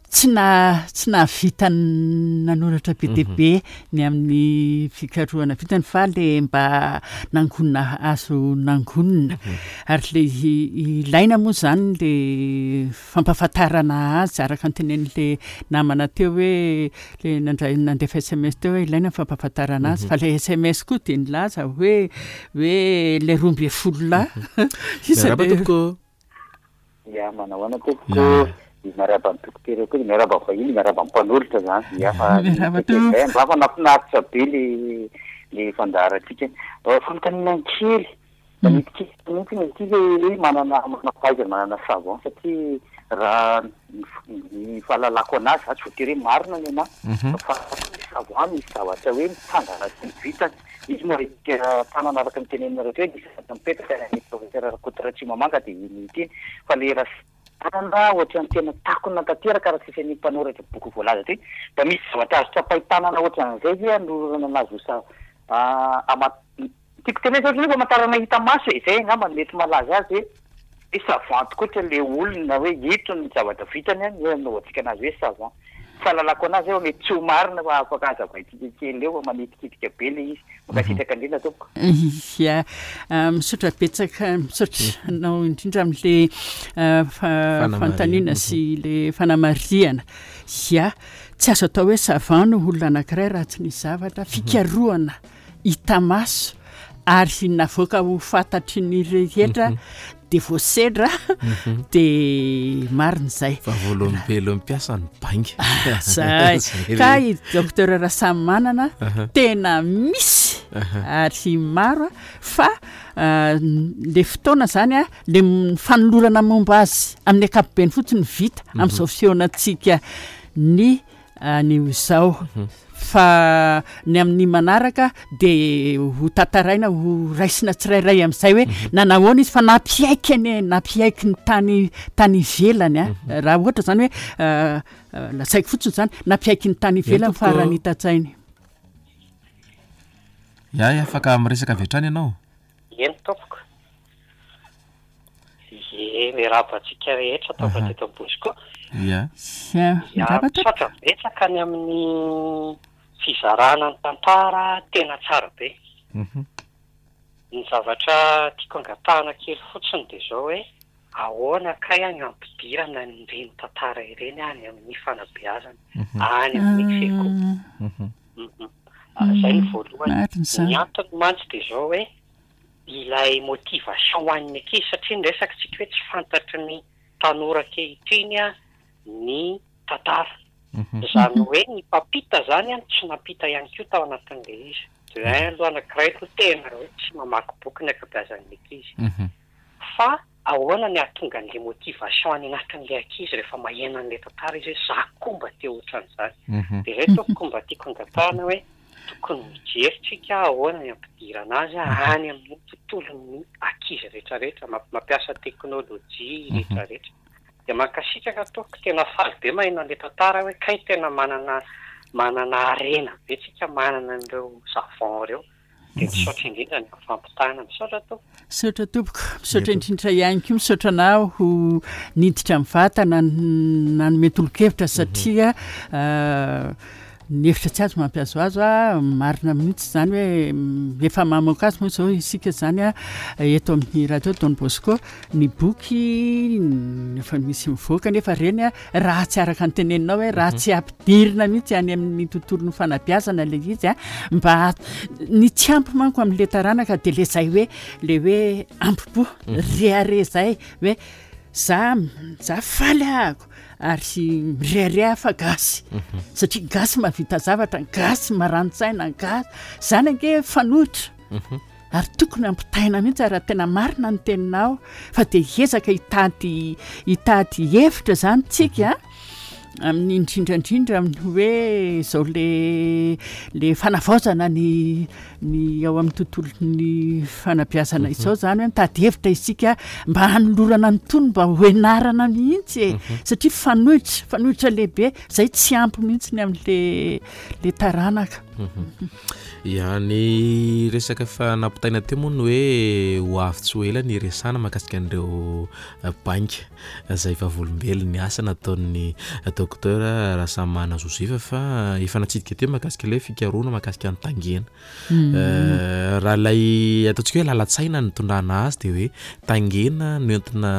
tsy na tsy nahavita nanoratra be dia be ny amin'ny fikarohana vitany fa le mba nangonina azo nangonina. Ary le ilaina moa zany le fampahafantarana azy araka ny tenenin'le namana teo hoe le nandray nandefa S M S teo hoe ilaina ny fampahafantarana azy fa le S M S koa de nilaza hoe hoe le roa ambin'ny folo lahy. Miarahaba tompoko. Ya, manao ahoana tompoko? Miarahaba ny dokotera koa, miarahaba vahiny, miarahaba ny mpanolotra zany. Ya, fa Miarahaba tompoko. Mba fa nahafinaritra be le le fandaharantsika. Fanontaniana kely, manitikitika mihitsy ny ity le hoe manana manam-pahaizana, manana savant satria raha ny fahalalako anazy za tsy voatery hoe marina ny anahy. Fa savant misy zavatra hoe mitsangana sy vitany. Izy moa rehefa tanana araka ny teneninareo teo hoe nisy zavatra mipetraka any amin'ny professeur Rakoto Ratsimamanga dia iny ity. Fa le raha tanana ohatran'ny tena takona tanteraka araka izay ny mpanoratra boky voalaza teo. Mba misy zavatra azo tsapain-tanana ohatran'izay ve anolorana anazy ho sa-, ah, ama-, tiako tenenina zao hoe famantarana hita maso e, izay angamba no mety malaza azy hoe hoe savant tokoa ohatra le olona hoe ito ny zavatra vitany a, ny anaovantsika anazy hoe savant. Fahalalako anazy eo mety tsy ho marina fa afaka hazavaintsika kely eo fa manitikitika be le izy. Mankasitraka indrindra tompoko. Ya, misaotra betsaka, misaotra anao indrindra amin'le, ah, fa-, fanontaniana sy le fanamarihana. Ya, tsy azo atao hoe savant no olona anankiray raha tsy nisy zavatra fikarohana hita maso ary navoaka ho fantatry ny rehetra de voasedra de marina izay. Fa voalombelon'ny mpiasa ny bainga. Zay. Zay Ka re. i docteur Rasamimanana tena misy ary maro fa, ah, le fotoana zany a, le m-, fanolorana momba azy amin'ny ankapobeny fotsiny vita amin'izao fihaonantsika ny anio izao. Fa ny amin'ny manaraka de ho tantaraina, ho raisina tsirairay amin'izay hoe nanahoana izy fa nampiaiky anie, nampiaiky ny tany, tany ivelany a. Raha ohatra zany hoe, ah, ah, lazaiko fotsiny zany, nampiaiky ny tany ivelany fa raha ny hita-tsainy. Ya, afaka miresaka avy hatrany ianao. Eny tompoko. Ie, miarahaba antsika rehetra tonga teto Bosco. Ya. Ya, Ya, miarahaba tompoko. misaotra betsaka ny amin'ny fizarana ny tantara tena tsara be. Mhm. Ny zavatra tiako angatahana kely fotsiny dia izao hoe ahoana kay any ampidirana an'ireny tantara ireny any amin'ny fanabeazana, any amin'ny sekoly. Mhm. Mhm. Ah, izay ny voalohany. Marina izany. Ny antony mantsy dia izao hoe ilay motivation ho an'ny ankizy, satria ny resaka tsika hoe tsy fantatry ny tanora ankehitriny a ny tantara. Mhm. Izany hoe ny mpampita zany a tsy nampita ihany koa tao anatin'ilay izy. De un aloha anankiray aloha tena hoe tsy mamaky boky ny ankabeazan'ny ankizy. Mhm. Fa ahoana ny hahatonga an'ilay motivation any anatin'ilay ankizy rehefa maheno an'ilay tantara izy hoe za koa mba te ohatran'izany. Mhm. De izay tompoko mba tiako angatahana hoe tokony mijery tsika ahoana ny ampidirana azy any amin'ny tontolon'ny ankizy rehetrarehetra, mamp-, mampiasa teknôlôjia rehetrarehetra. De mankasitraka tompoko, tena faly be maheno an'ilay tantara hoe kay tena manana, manana harena be tsika, manana an'ireo savant ireo. De misaotra indrindra ny fampitana. Misaotra tompoko. Misaotra tompoko, misaotra indrindra ihany koa, misaotra anao ho niditra mivantana nanome tolo-kevitra satria, ah, Ny hevitra tsy azo mampihazohazo a, marina mihitsy zany hoe efa mamoaka azy moa zao isika zany a eto amin'ny radio Don Bosco, ny boky efa misy mivoaka, nefa reny a raha tsy araka ny teneninao hoe raha tsy ampidirina mihitsy any amin'ny tontolon'ny fanabeazana le izy a, mba ny tsy ampy manko amin'le taranaka de le zay hoe le hoe ampipo reare zay hoe za za faly ahako ary mirehareha fa gasy, satria gasy mahavita zavatra, gasy marani-tsaina, gasy zany ange fanoitra ary tokony ampitaina mihitsy raha tena marina ny teninao, fa de hiezaka hitady hitady hevitra zany tsika amin'ny indrindrandrindra amin'ny hoe zao le le fanavaozana ny ny ao amin'ny tontolon'ny fanabeazana izao zany hoe mitady hevitra isika mba hanolorana ny tony mba ho enarana mihitsy e, satria fanoitra fanoitra lehibe zay tsy ampy mihitsy ny amin'le le taranaka. Ya, ny resaka fa nampitaina teo moa ny hoe ho avy tsy ho ela ny resana mahakasika an'ireo banky izay vavolombelon'ny asa nataon'ny docteur Rasamana Joseph, fa efa natsidika teo mahakasika ilay fikarohana mahakasika ny tangena. Raha ilay ataontsika hoe lalan-tsaina nitondrana azy dia hoe tangena no entina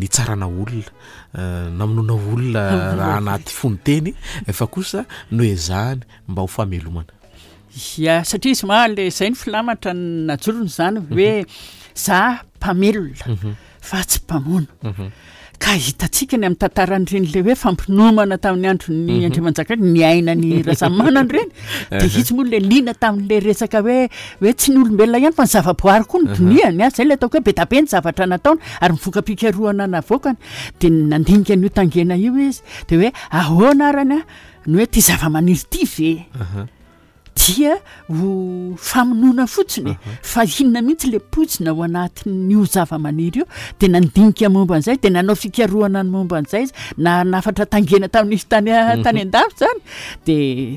nitsarana olona, namonoana olona raha anaty fononteny, fa kosa noezahany mba ho famelomana. Ya, satria izy ma le zay ny filamatra najorony zany hoe za mpamelona fa tsy mpamono. Ka hitantsika ny amin'ny tantaran'ireny le hoe fampinomana tamin'ny andron'ny Andriamanjaka niaina ny Rasamanana ireny, de izy moa le liana tamin'le resaka hoe hoe tsy ny olombelona ihany fa ny zavaboary koa no diniany a, zay le ataoko hoe be dia be ny zavatra nataony ary ny voka-pikarohana navoakany, de nandinika an'io tangena io izy de hoe ahoana arany a ny hoe ty zava-maniry ty ve dia ho famonoana fotsiny fa inona mihitsy le poizina ao anatin'io zava-maniry io, de nandinika momba an'izay, de nanao fikarohana ny momba an'izay izy, na nafatra tangena tamin'izy tany tany an-dafy zany, de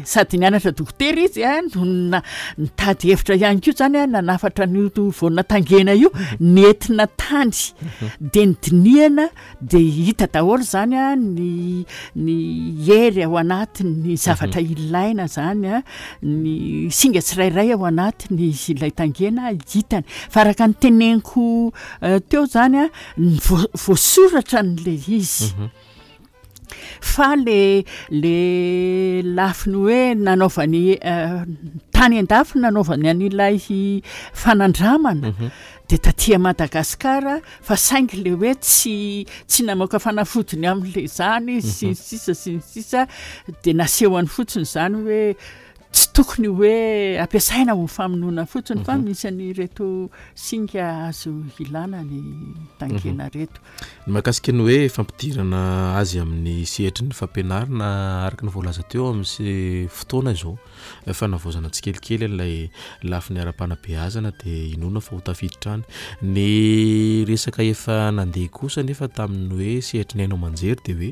sady nianatra dokotera izy a no na nitady hevitra ihany koa zany a nanafatra an'io voana tangena io nentina tany, de nidinihana de hita daholo zany a ny ny hery ao anatin'ny zavatra ilaina zany a, ny singa tsirairay ao anatiny ilay tangena hitany. Fa araka ny teneniko teo zany a ny voasoratra n'le izy, fa le le lafiny hoe nanaovany tany an-dafy nanaovany an'ilay fanandramana de taty Madagasikara, fa saingy le hoe tsy tsy namoaka fanafodiny amin'le zany izy sy ny sisa sy ny sisa, de nasehony fotsiny zany hoe tsy tokony hoe ampiasaina ho famonoana fotsiny fa misy an'ireto singa azo ilana ny tangena reto. Ny mahakasika ny hoe fampidirana azy amin'ny sehatry ny fampianarana araka ny voalaza teo amin'ny fotoana izao fanavaozana tsikelikely ilay lafiny ara-panabeazana dia inoana fa ho tafiditra any. Ny resaka efa nandeha kosa nefa tamin'ny hoe sehatry ny haino aman-jery dia hoe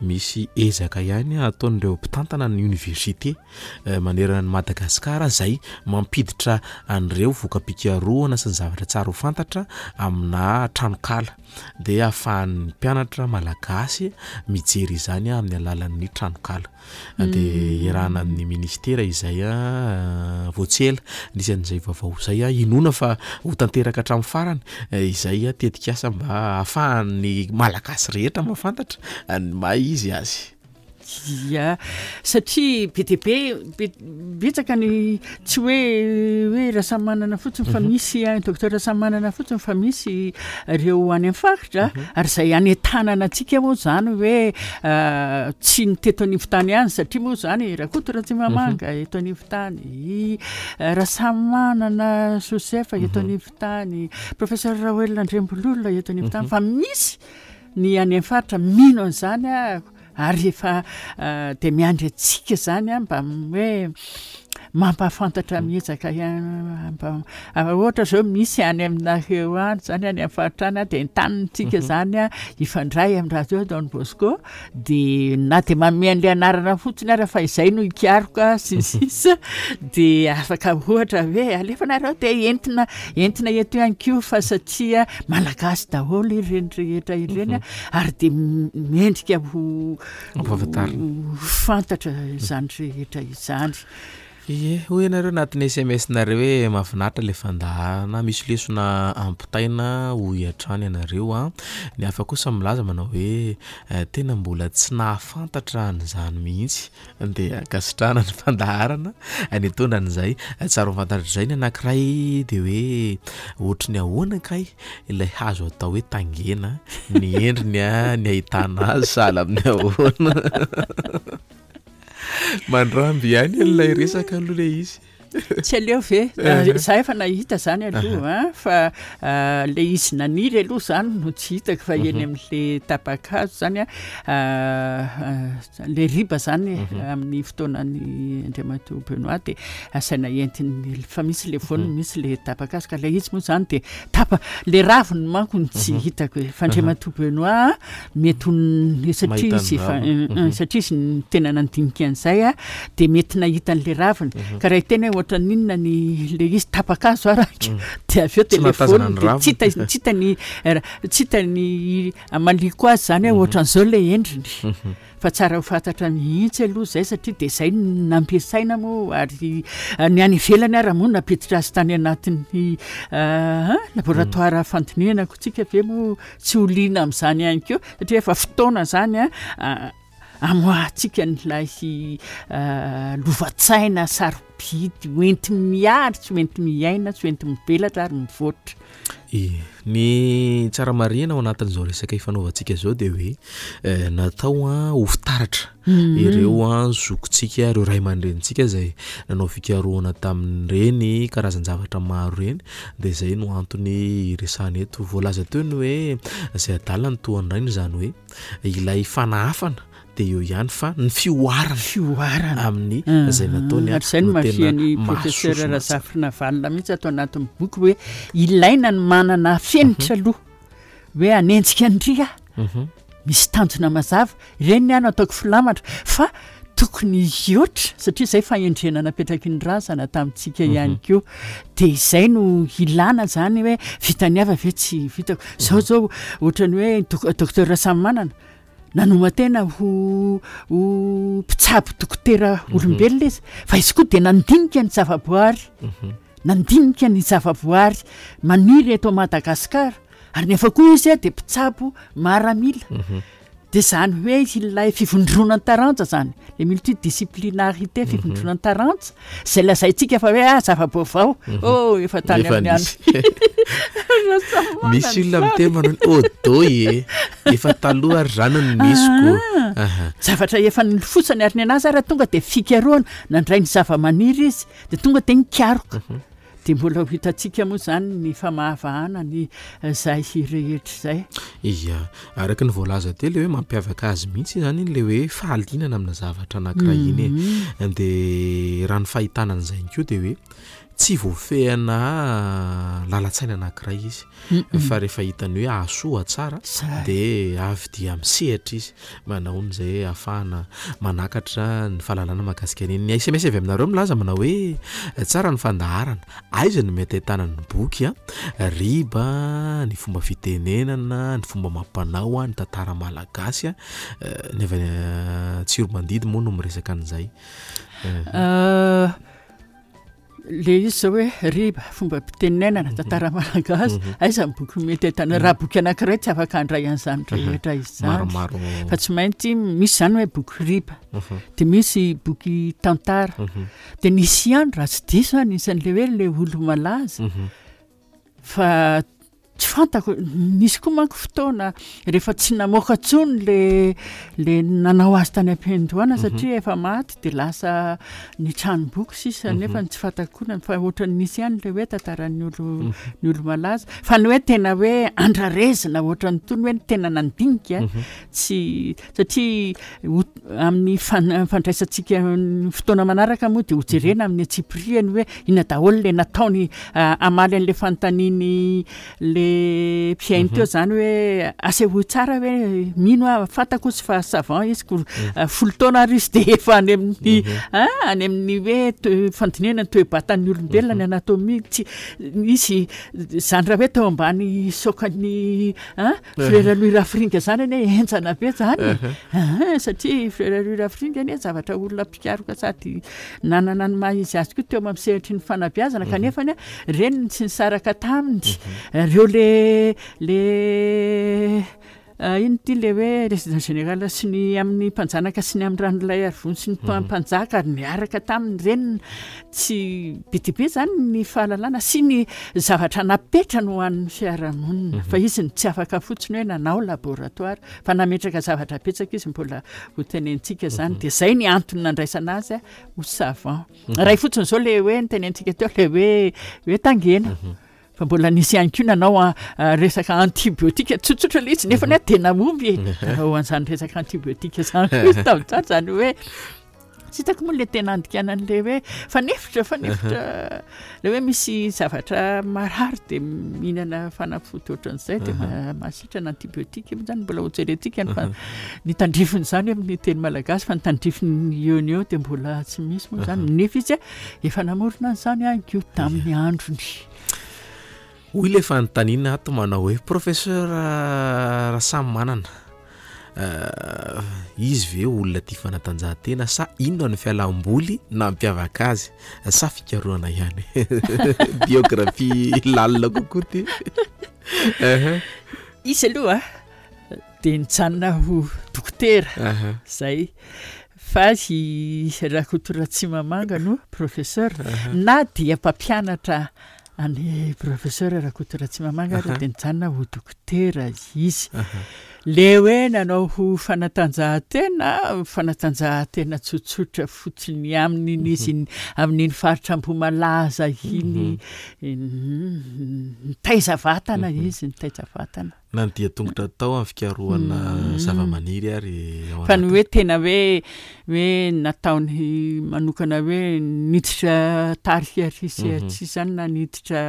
misy ezaka ihany ataon'ireo mpitantana ny université manerana ny Madagasikara izay mampiditra an'ireo voka-pikarohana sy ny zavatra tsara ho fantatra amina tranonkala, dia ahafahan'ny mpianatra malagasy mijery izany amin'ny alalan'ny tranonkala, dia iarahana amin'ny ministera izay vao tsy ela nisy an'izay vaovao izay, inoana fa ho tanteraka hatramin'ny farany izay tetikasa mba ahafahan'ny malagasy rehetra mahafantatra ny maha izy azy. Ya, satria be dia be be betsaka ny tsy hoe hoe Rasamanana fotsiny fa misy docteur Rasamanana fotsiny fa misy ireo any amin'ny faritra, ary izay any an-tanana antsika moa zany hoe tsy ny teto anivon-tany ihany, satria moa zany Rakoto Ratsimamanga eto anivon-tany, Rasamanana Joseph eto anivon-tany, professeur Raoelina Andriambololona eto anivon-tany, fa misy ny any amin'ny faritra mino an'izany a, ary efa de miandry antsika zany a mba hoe Mampahafantatra miezaka ihany, ohatra zao misy any aminareo any zany, any amin'ny faritra any, dia entanintsika zany a hifandray amin'ny radio Don Bosco, dia na dia manome an'ilay anarana fotsiny ara fa izay no hikaroka sy ny sisa, dia afaka ohatra hoe alefanareo dia entina entina eto ihany koa, fa satria malagasy daholo ireny rehetra ireny a, ary dia mendrika ho Ampahafantarina. ho fantatra izany rehetra izany. Ie, hoy ianareo anatin'ny S M S-nareo hoe mahafinaritra ilay fandaharana, misy lesona ampitaina hoy hatrany ianareo a. Ny hafa kosa milaza manao hoe, eh, tena mbola tsy nahafantatra an'izany mihitsy, dia ankasitrahana ny fandaharana nitondra an'izay. Tsara ho fantatra izay ny anankiray dia hoe ohatry ny ahoana kay ilay hazo atao hoe tangena, ny endriny a, ny ahitana azy sahala amin'ny ahoana. Mandramby ihany an'ilay resaka aloha ilay izy. Tsy aleo ve? Eh. Za efa nahita zany aloha, Aha. a, fa, ah, le izy naniry aloha zany no tsy hitako, fa eny Mhm. amin'le tapa-kazo zany a, ah, ah, le riba zany, Mhm. amin'ny fotoanan'ny Andriamatoa Benoît dia asaina entiny, fa misy le voany, Mhm. misy le tapa-kazo, ka le izy moa zany dia tapa, le raviny manko no tsy Mhm. hitako e. Fa Aha. Andriamatoa Benoît mety ho n-, satria Mahita izy ny efa, raviny. eh, eh, Mhm. satria izy ny tena nandinika an'izay a, dia mety nahita an'le raviny. Mhm. Ka raha hiteny hoe ohatran'ny inona ny le izy tapa-kazo araka, Mm. dia avy eo Tsy nahatazana telefôny, ny dia raviny. tsy hita, tsy hita ny, eh, tsy hita ny amaliko azy zany hoe Mhm. ohatran'izao le endriny. Mhm. Fa tsara ho fantatra mihitsy aloha izay, satria dia izay no nampiasaina moa, ary ny any ivelany ara moa nampiditra azy tany anatin'ny, eh, laboratoire Mm. fandinihana koa tsika ve moa tsy ho liana amin'izany ihany koa, satria efa fotoana zany a, a, amoahantsika n'ilay, eh, lova-tsaina sarobidy hoenti-miary, tsy hoenti-miaina, tsy hoenti-mivelatra ary mivoatra. Ie, ny tsara marihina ao anatin'izao resaka ifanaovantsika izao dia hoe, eh, natao a ho fitaratra Mhm. ireo a zokintsika, ireo ray aman-drenintsika izay nanao fikarohana tamin'ireny karazan-javatra maro ireny, dia izay no antony iresahana eto. Voalaza teo ny hoe izay adala ny tohan'ny rainy, izany hoe ilay fanahafana dia eo ihany fa ny fihoarana. Fihoarana. Amin'ny Mhm. izay nataony Ary izay no no tena mahafian'ny professeur mahasosona tsara. Razafindravalinina mihitsy ato anatin'ny boky hoe ilaina ny manana fenitra Mhm. aloha, hoe hanenjika andria, Mhm. misy tanjona mazava, ireny ny ano ataoko filamatra, fa tokony hihoatra, satria izay fahendrena napetraky ny razana tamintsika Mhm. ihany koa, dia izay no ilana zany hoe vitany hafa ve tsy vitako. Zao Mhm. zao ohatran'ny hoe dok-, docteur Rasamimanana nanoma-tena ho, ho mpitsabo dokotera Mhm. olombelona izy, fa izy koa dia nandinika ny zavaboary. Mhm. Nandinika ny zavaboary maniry eto Madagasikara, ary nefa koa izy a dia mpitsabo maramila. Mhm. Dia izany hoe ilay fivondronan-taranja zany, le multidisciplinarité, Mhm. fivondronan-taranja, izay lazaintsika fa hoe, ah, zava-baovao. Mhm. Oh, efa tany Efa amin'ny nisy. andro. Rasamimanana Misy olona zany. miteny manao hoe, oh, doy e. Efa taloha ary zany no nisy ko. Ah. Aha. Zavatra efa nilofosany ary ny anazy ary tonga dia fikarohana, nandray ny zava-maniry izy, dia tonga dia nikaroka. Mhm. Dia mbola ho hitantsika moa zany ny famahavahana ny izay rehetra izay. Ia, araka ny voalaza teo le hoe mampiavaka azy mihitsy zany iny le hoe fahalinana amina zavatra anankiray iny e. Mhm. Dia raha ny fahitana an'izay ihany koa dia hoe tsy voafehana lalan-tsaina anankiray izy. Mm-mm. Fa rehefa hitany hoe ahasoa tsara, Zay. dia avy dia misehatra izy manao an'izay ahafahana manakatra ny fahalalana mahakasika an'iny. Ny S M S avy aminareo milaza manao hoe tsara ny fandaharana, aiza no mety ahitana ny boky a, riba, ny fomba fitenenana, ny fomba mampanao a, ny tantara malagasy a, eh, ny avy any Tsiromandidy moa no miresaka an'izay. Eh. Euh, le izy zao hoe riba, fomba fitenenana, Mhm. tantara malagasy, Mhm. aiza ny boky mety ahitana? Raha boky anankiray tsy afaka handray an'izany Mhm. rehetra izany. Maromaro. Fa tsy maintsy misy zany hoe boky riba, Mhm. dia misy boky tantara. Mhm. Dia nisy ihany raha tsy diso anisan'le hoe le olo-malaza. Mhm. Fa Tsy fantako, nisy koa manko fotoana rehefa tsy namoaka intsony le le nanao azy tany am-piandohana satria efa maty dia lasa ny tranomboky sisa nefa tsy fantako koa na fa ohatran'ny nisy ihany le hoe tantaran'ny olo ny olo-malaza fa ny hoe tena hoe andrarezina ohatran'ny tony hoe ny tena nandinika tsy satria ho- amin'ny fan- fandraisantsika ny fotoana manaraka moa dia hojerena amin'ny antsipiriany hoe inona daholo le nataony ah, hamaly an'le fanontaniany le mpihaino teo zany hoe asehoy tsara hoe mino aho fantako izy fa savant izy ko ah, folo taona ary izy dia efa any amin'ny ah, any amin'ny hoe toe- fandinihana ny toe-batan'ny olombelona ny anatomie tsy izy zany raha hoe teo ambany sokany ah, Frère Louis Rafiringa zany anie henjana be zany Ah, satria Frère Louis Rafiringa anie zavatra olona mpikaroka sady nanana ny maha izy azy koa teo amin'ny sehatry ny fanabeazana kanefa ny reniny tsy nisaraka taminy reo le le ah, ino ty le hoe résident général sy ny amin'ny mpanjanaka sy ny amin'ny ranolay arivony sy ny mpa- mpanjaka niaraka taminy reniny tsy be dia be zany ny fahalalana sy ny zavatra napetrany ho an'ny fiarahamonina fa izy ny tsy afaka fotsiny hoe nanao laboratoire fa nametraka zavatra betsaka izy mbola ho tenentsika zany de zay ny antony nandraisana azy a ho savant ray fotsiny zao le hoe nytenentsika teo le hoe hoe tangena fa mbola nisy ihany koa nanao a- a resaka antibiotika tsotsotra le izy nefa ny hoe tena momby e nanao an'izany resaka antibiotika zany koa izy tamin'izany zany hoe tsy hitako moa le tena andikanan'le hoe fanefitra fanefitra le hoe misy zavatra marary de mihinana fanafody ohatran'izay de ma- mahasitrana antibiotika moa zany mbola hojerentsika ny fa ny tandrifiny zany amin'ny teny malagasy fa ny tandrifiny eo ny eo de mbola tsy misy moa zany nefa izy a efa namorona an'izany ihany koa tamin'ny androny. Hoy le fanontaniana ato manao hoe professeur Rasamimanana, euh, izy ve olona tia fanatanjahantena sa inona ny fialamboly nampiavaka azy sa fikarohana ihany? Biographie lalina kokoa ty. Aha, Izy aloha de nijanona ho dokotera aha, zay fa i Rakoto Ratsimamanga no professeur na dia mpampianatra any professeur Rakoto Ratsimamanga ary de nijanona ho dokotera izy. Le hoe nanao ho fanatanjahantena fanatanjahantena tsotsotra fotsiny amin'iny izy iny- amin'iny faritra Ambohimalaza iny mm, nitaiza vatana izy nitaiza vatana. Na ny dia tongotra tao amin'ny fikarohana zava-maniry ary ao Fa ny anaty. hoe tena hoe hoe nataony manokana hoe niditra tarika ary sy tsy zany na niditra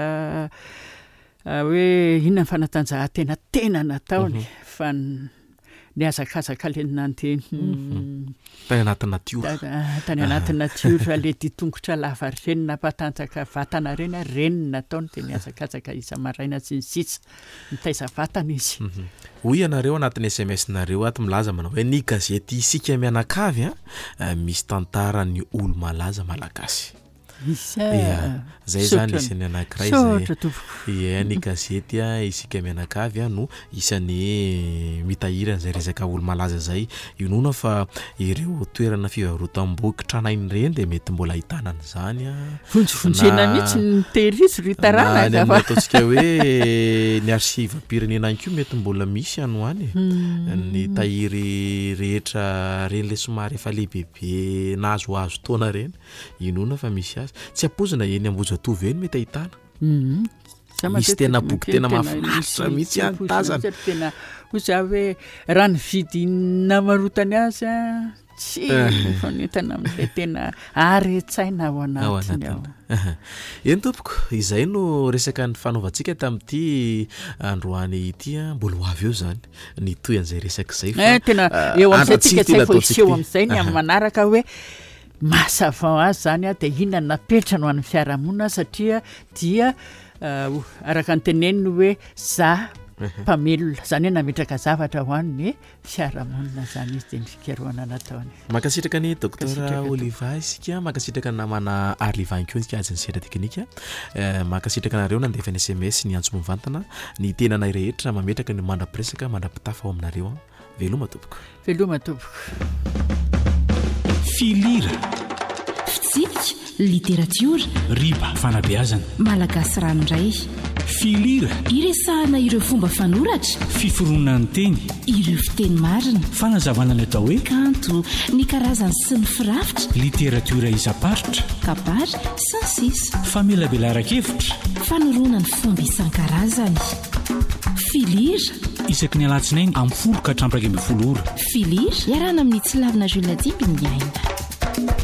ah, hoe inona ny fanatanjahantena tena nataony fa n- nihazakazaka le nandeha mm, Tany anaty natiora. ta- ah, tany anaty natiora le dia tongotra lava reny nampatanjaka vatana reny a reny nataony de nihazakazaka isa-maraina sy ny sisa nitaiza vatana izy. Hoy ianareo anatin'ny S M S-nareo ato milaza manao hoe ny gazety Isika Mianakavy a, eh, misy tantaran'ny olo-malaza malagasy. Misy Ia, zay zany Misaotra. isan'ny anankiray zay. Misaotra tompoko. Ia, ny gazety a Isika Mianakavy a no isan'ny mitahiry an'izay resaka olo-malaza zay. Inoana fa ireo toerana fivarotam-boky tranainy ireny dia mety mbola ahitana an'izany a. Vonjivonjena Na- mihitsy ny tehirizo ry Na taranaka ny amin'ny fa ataontsika hoe ny arsivam-pirenena ihany koa mety mbola misy any ho any. Ny tahiry rehetra reny le somary efa lehibebe nahazoazo taona reny, inoana fa misy azy. Tsy ampoizina eny Ambohijatovo eny mety ahitana. Mhm. Za Misy matetika tena boky tena tena mahafinaritra misy mihitsy any ampoizina tazana. mihitsy ary tena hoy za hoe raha ny vidy namarotany azy a tsy mifanentana amin'ilay tena are-tsaina ao Ao anatiny ao. anatiny. Eny tompoko, izay no resaka ny fanaovantsika tamin'ity androany ity a, mbola ho avy eo zany ny toy an'izay resaka izay fa Eh, tena ah, eo amin'izay andratsika tsika ity zay vao nataontsika hiseho ity. amin'izay ny amin'ny manaraka hoe maha savant azy zany a de inona no napetrany ho an'ny fiarahamonina satria dia ah, araka ny teneniny hoe za mpamelona zany hoe nametraka zavatra ho an'ny fiarahamonina zany izy de ny fikarohana nataony. Mankasitraka ny docteur Mankasitraka tompoko. Oliva isika, mankasitraka ny namana Arliva ihany koa isika azy ny sehatra teknika. Eh, mankasitraka anareo nandefa ny S M S ny antso mivantana, ny tenanay rehetra mametraka ny mandra-piresaka mandra-pitafa ao aminareo. Veloma tompoko. Veloma tompoko. Filira. Fitsipika, literatiora, Riba fanabeazana. Malagasy ranoray. Filira. Iresahana ireo fomba fanoratra, fiforonan'ny teny, ireo fiteny marina, fanazavana ny atao hoe kanto, ny karazany sy ny firafitra, literatiora isam-paritra, kabary sy ny sisa. Famelabelaran-kevitra, fanoroana ny fomba isan-karazany. Filira. Isaky ny alatsinainy amin'ny folo ka hatramin'ny iraika ambin'ny folo ora. Filira iarahana amin'ny Tsilavina Jules Dimby ny aina.